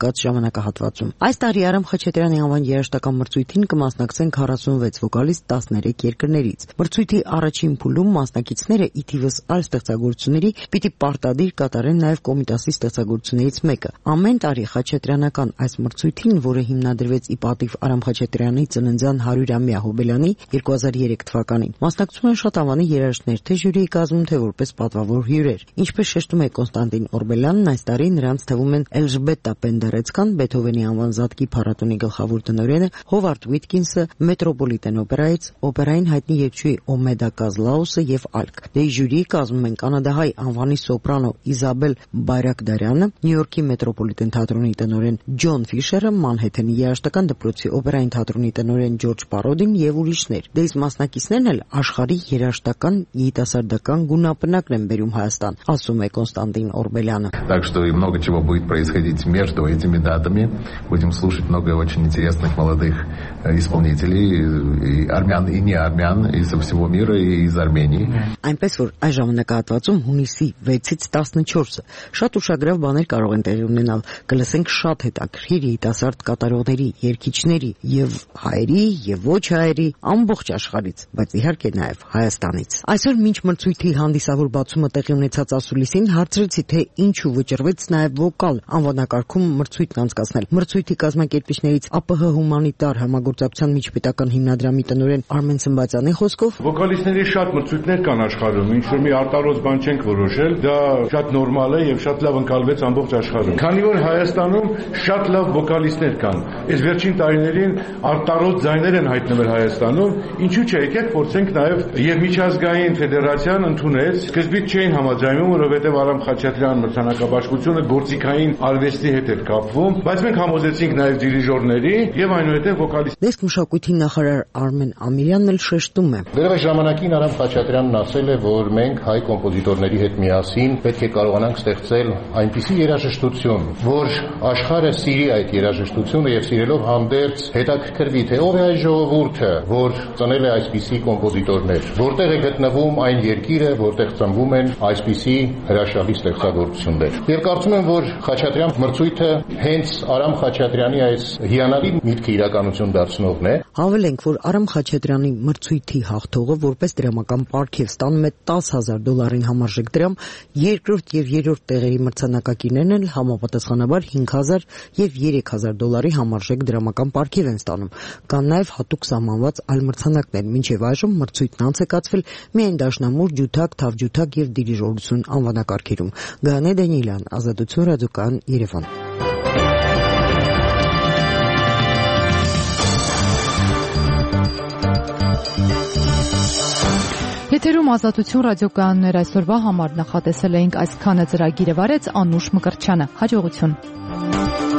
14 ժամանակահատվածում։ Այս տարի Արամ Խաչատրյանի անվան երաժշտական մրցույթին կմասնակցեն 46 վոկալիստ 13 երկրներից։ Մրցույթի առաջին փուլում մասնակիցները ի թիվս այլ ստեղծագործությունների պիտի պարտադիր կատարեն նաև Կոմիտասի ստեղծագործություններից մեկը։ Ամեն տարի Խաչատրյանական այս մրցույթին, որը հիմնադրվեց ի պատիվ Արամ Խաչատրյանի ծննդյան 100-ամյա հոբելյանի 2003 թվականին, մասնակցում են շատ անվանի երաժիշտներ, թե ժյուրիի կազմում, թե որպես պատվավոր հյուրեր։ Ինչպես շեշտում է Կոնստանտին Օրբելյանն, այս տարի նրանց թվում են Էլժբետա Պենդերեցկան, Բեթհովենի անվան Զատկի փառատոնի գլխավոր տնօրենը, Հովարդ Ուիտկինսը, Մետրոպոլիտեն օպերայից, օպերային հայտնի երգչուհի Օմեդա Կազլաուսը եւ այլք։ Ժյուրիի կազմում են կանադահայ անվանի սոպրանո Իզաբել Բայրակդարյանը, Նյու Յորքի Մետրոպոլիտեն թատրոնի տնօրեն Ջոն Ֆիշերը, Մանհեթենի երաժշտական դպրոցի օպերային թատրոնի տնօրեն Ջորջ Պարոդին եւ ուրիշներ։ Դες մասնակիցներն էլ աշխարհի երաժշտական երիտասարդական գունապնակն են բերում Հայաստան, ասում է Կոնստանտին Օրբելյանը։ Так что и много чего будет происходить между этими датами. Будем слушать много очень интересных молодых исполнителей, и армян, и не армян, и со всего мира, и из Армении. Այնպես որ այս ժամանակահատվածում հունիսի 6-ից 14-ը շատ ուշագրավ բաներ կարող են տեղի ունենալ։ Կլսենք շատ հետաքրքիր երիտասարդ կատարողների, երգիչների եւ հայերի եւ ոչ հայերի ամբողջ աշխարհից, բայց իհարկե նաեւ Հայաստանից։ Այսօր մինչ մրցույթի հանդիսավոր բացումը տեղի ունեցած ասուլիսին հարցրեցի, թե ինչու վճռվեց նաեւ վոկալ անվանակարգում մրցույթն անցկացնել։ Մրցույթի կազմակերպիչներից ԱՊՀ հումանիտար համագործակցության միջպետական հիմնադրամի տնօրեն Արմեն Սմբատյանի խոսքով վոկալիստների շատ մրցույթներ կան աշխարհում, ինչ որ մի արտարոց բան չենք որոշել, դա շատ նորմալ է եւ շատ լավ ընկալվեց ամբողջ աշխարհում։ Քանի որ Հայաստանում շատ լավ վոկալիստներ կան, այս վերջին տարիներին արտարոց ձայներ են հայտնվել Հայաստանում, ինչու՞ չէ, եկեք փորձենք նաեւ եւ միջազգային ֆեդերացիան ընդունեց, սկզբից չէին համաձայնում, որովհետեւ Արամ Խաչատրյան մրցանակաբաշխությունը գործիքային արվեստի հետ էր կապվում, բայց մենք համոզեցինք նաև դիրիժորների եւ այնուհետեւ վոկալիստ։ Դեսք մշակույթի նախարար Արմեն Ամիրյանն էլ շեշտում է. Դեռ ժամանակին Արամ Խաչատրյանն ասել է, որ մենք հայ կոմպոզիտորների հետ միասին պետք է կարողանանք ստեղծել այնպիսի երաժշտություն, որ աշխարհը սիրի այդ երաժշտությունը եւ սիրելով հանդերձ հետաքրքրվի, թե ով է այս ժողովուրդը, որ ծնել է այսպիսի կոմպոզիտորներ, որտեղ է գտնվում այն երկիրը, որտեղ ծնվում են այսպիսի հրաշալի ստեղծագործություններ։ Եվ կարծում եմ, որ Խաչատրյան մրցույթը հենց Արամ Խաչատրյանի այս հիանալի միտքը իրականություն դարձնողն է։ Հավելենք, որ Արամ Խաչատրյանի մրցույթի հաղթողը որպես դրամական պարգև ստանում է $10,000 համարժեք դրամ, երկրորդ եւ երրորդ տեղերի մրցանակակիրներն էլ համապատասխանաբար $5,000 եւ $3,000 համարժեք դրամական պարգև են ստանում։ Կան նաեւ հատուկ սահմանված այլ մրցանակներ։ Մինչեւ այժմ մրցույթն անց է կացվել միայն դաշնամուր, ջութակ, թավջութակ եւ դիրիժորություն անվանակարգերում։ Գանե Դանիելյան, Ազատություն, ռադիոկայան, Երևան։ Եթերում Ազատություն ռադիոկայաններ այսօրվա համար նախատեսել էինք այսքանը ծրագիրը վարեց Անուշ Մկրտչյանը։ Հաջողություն։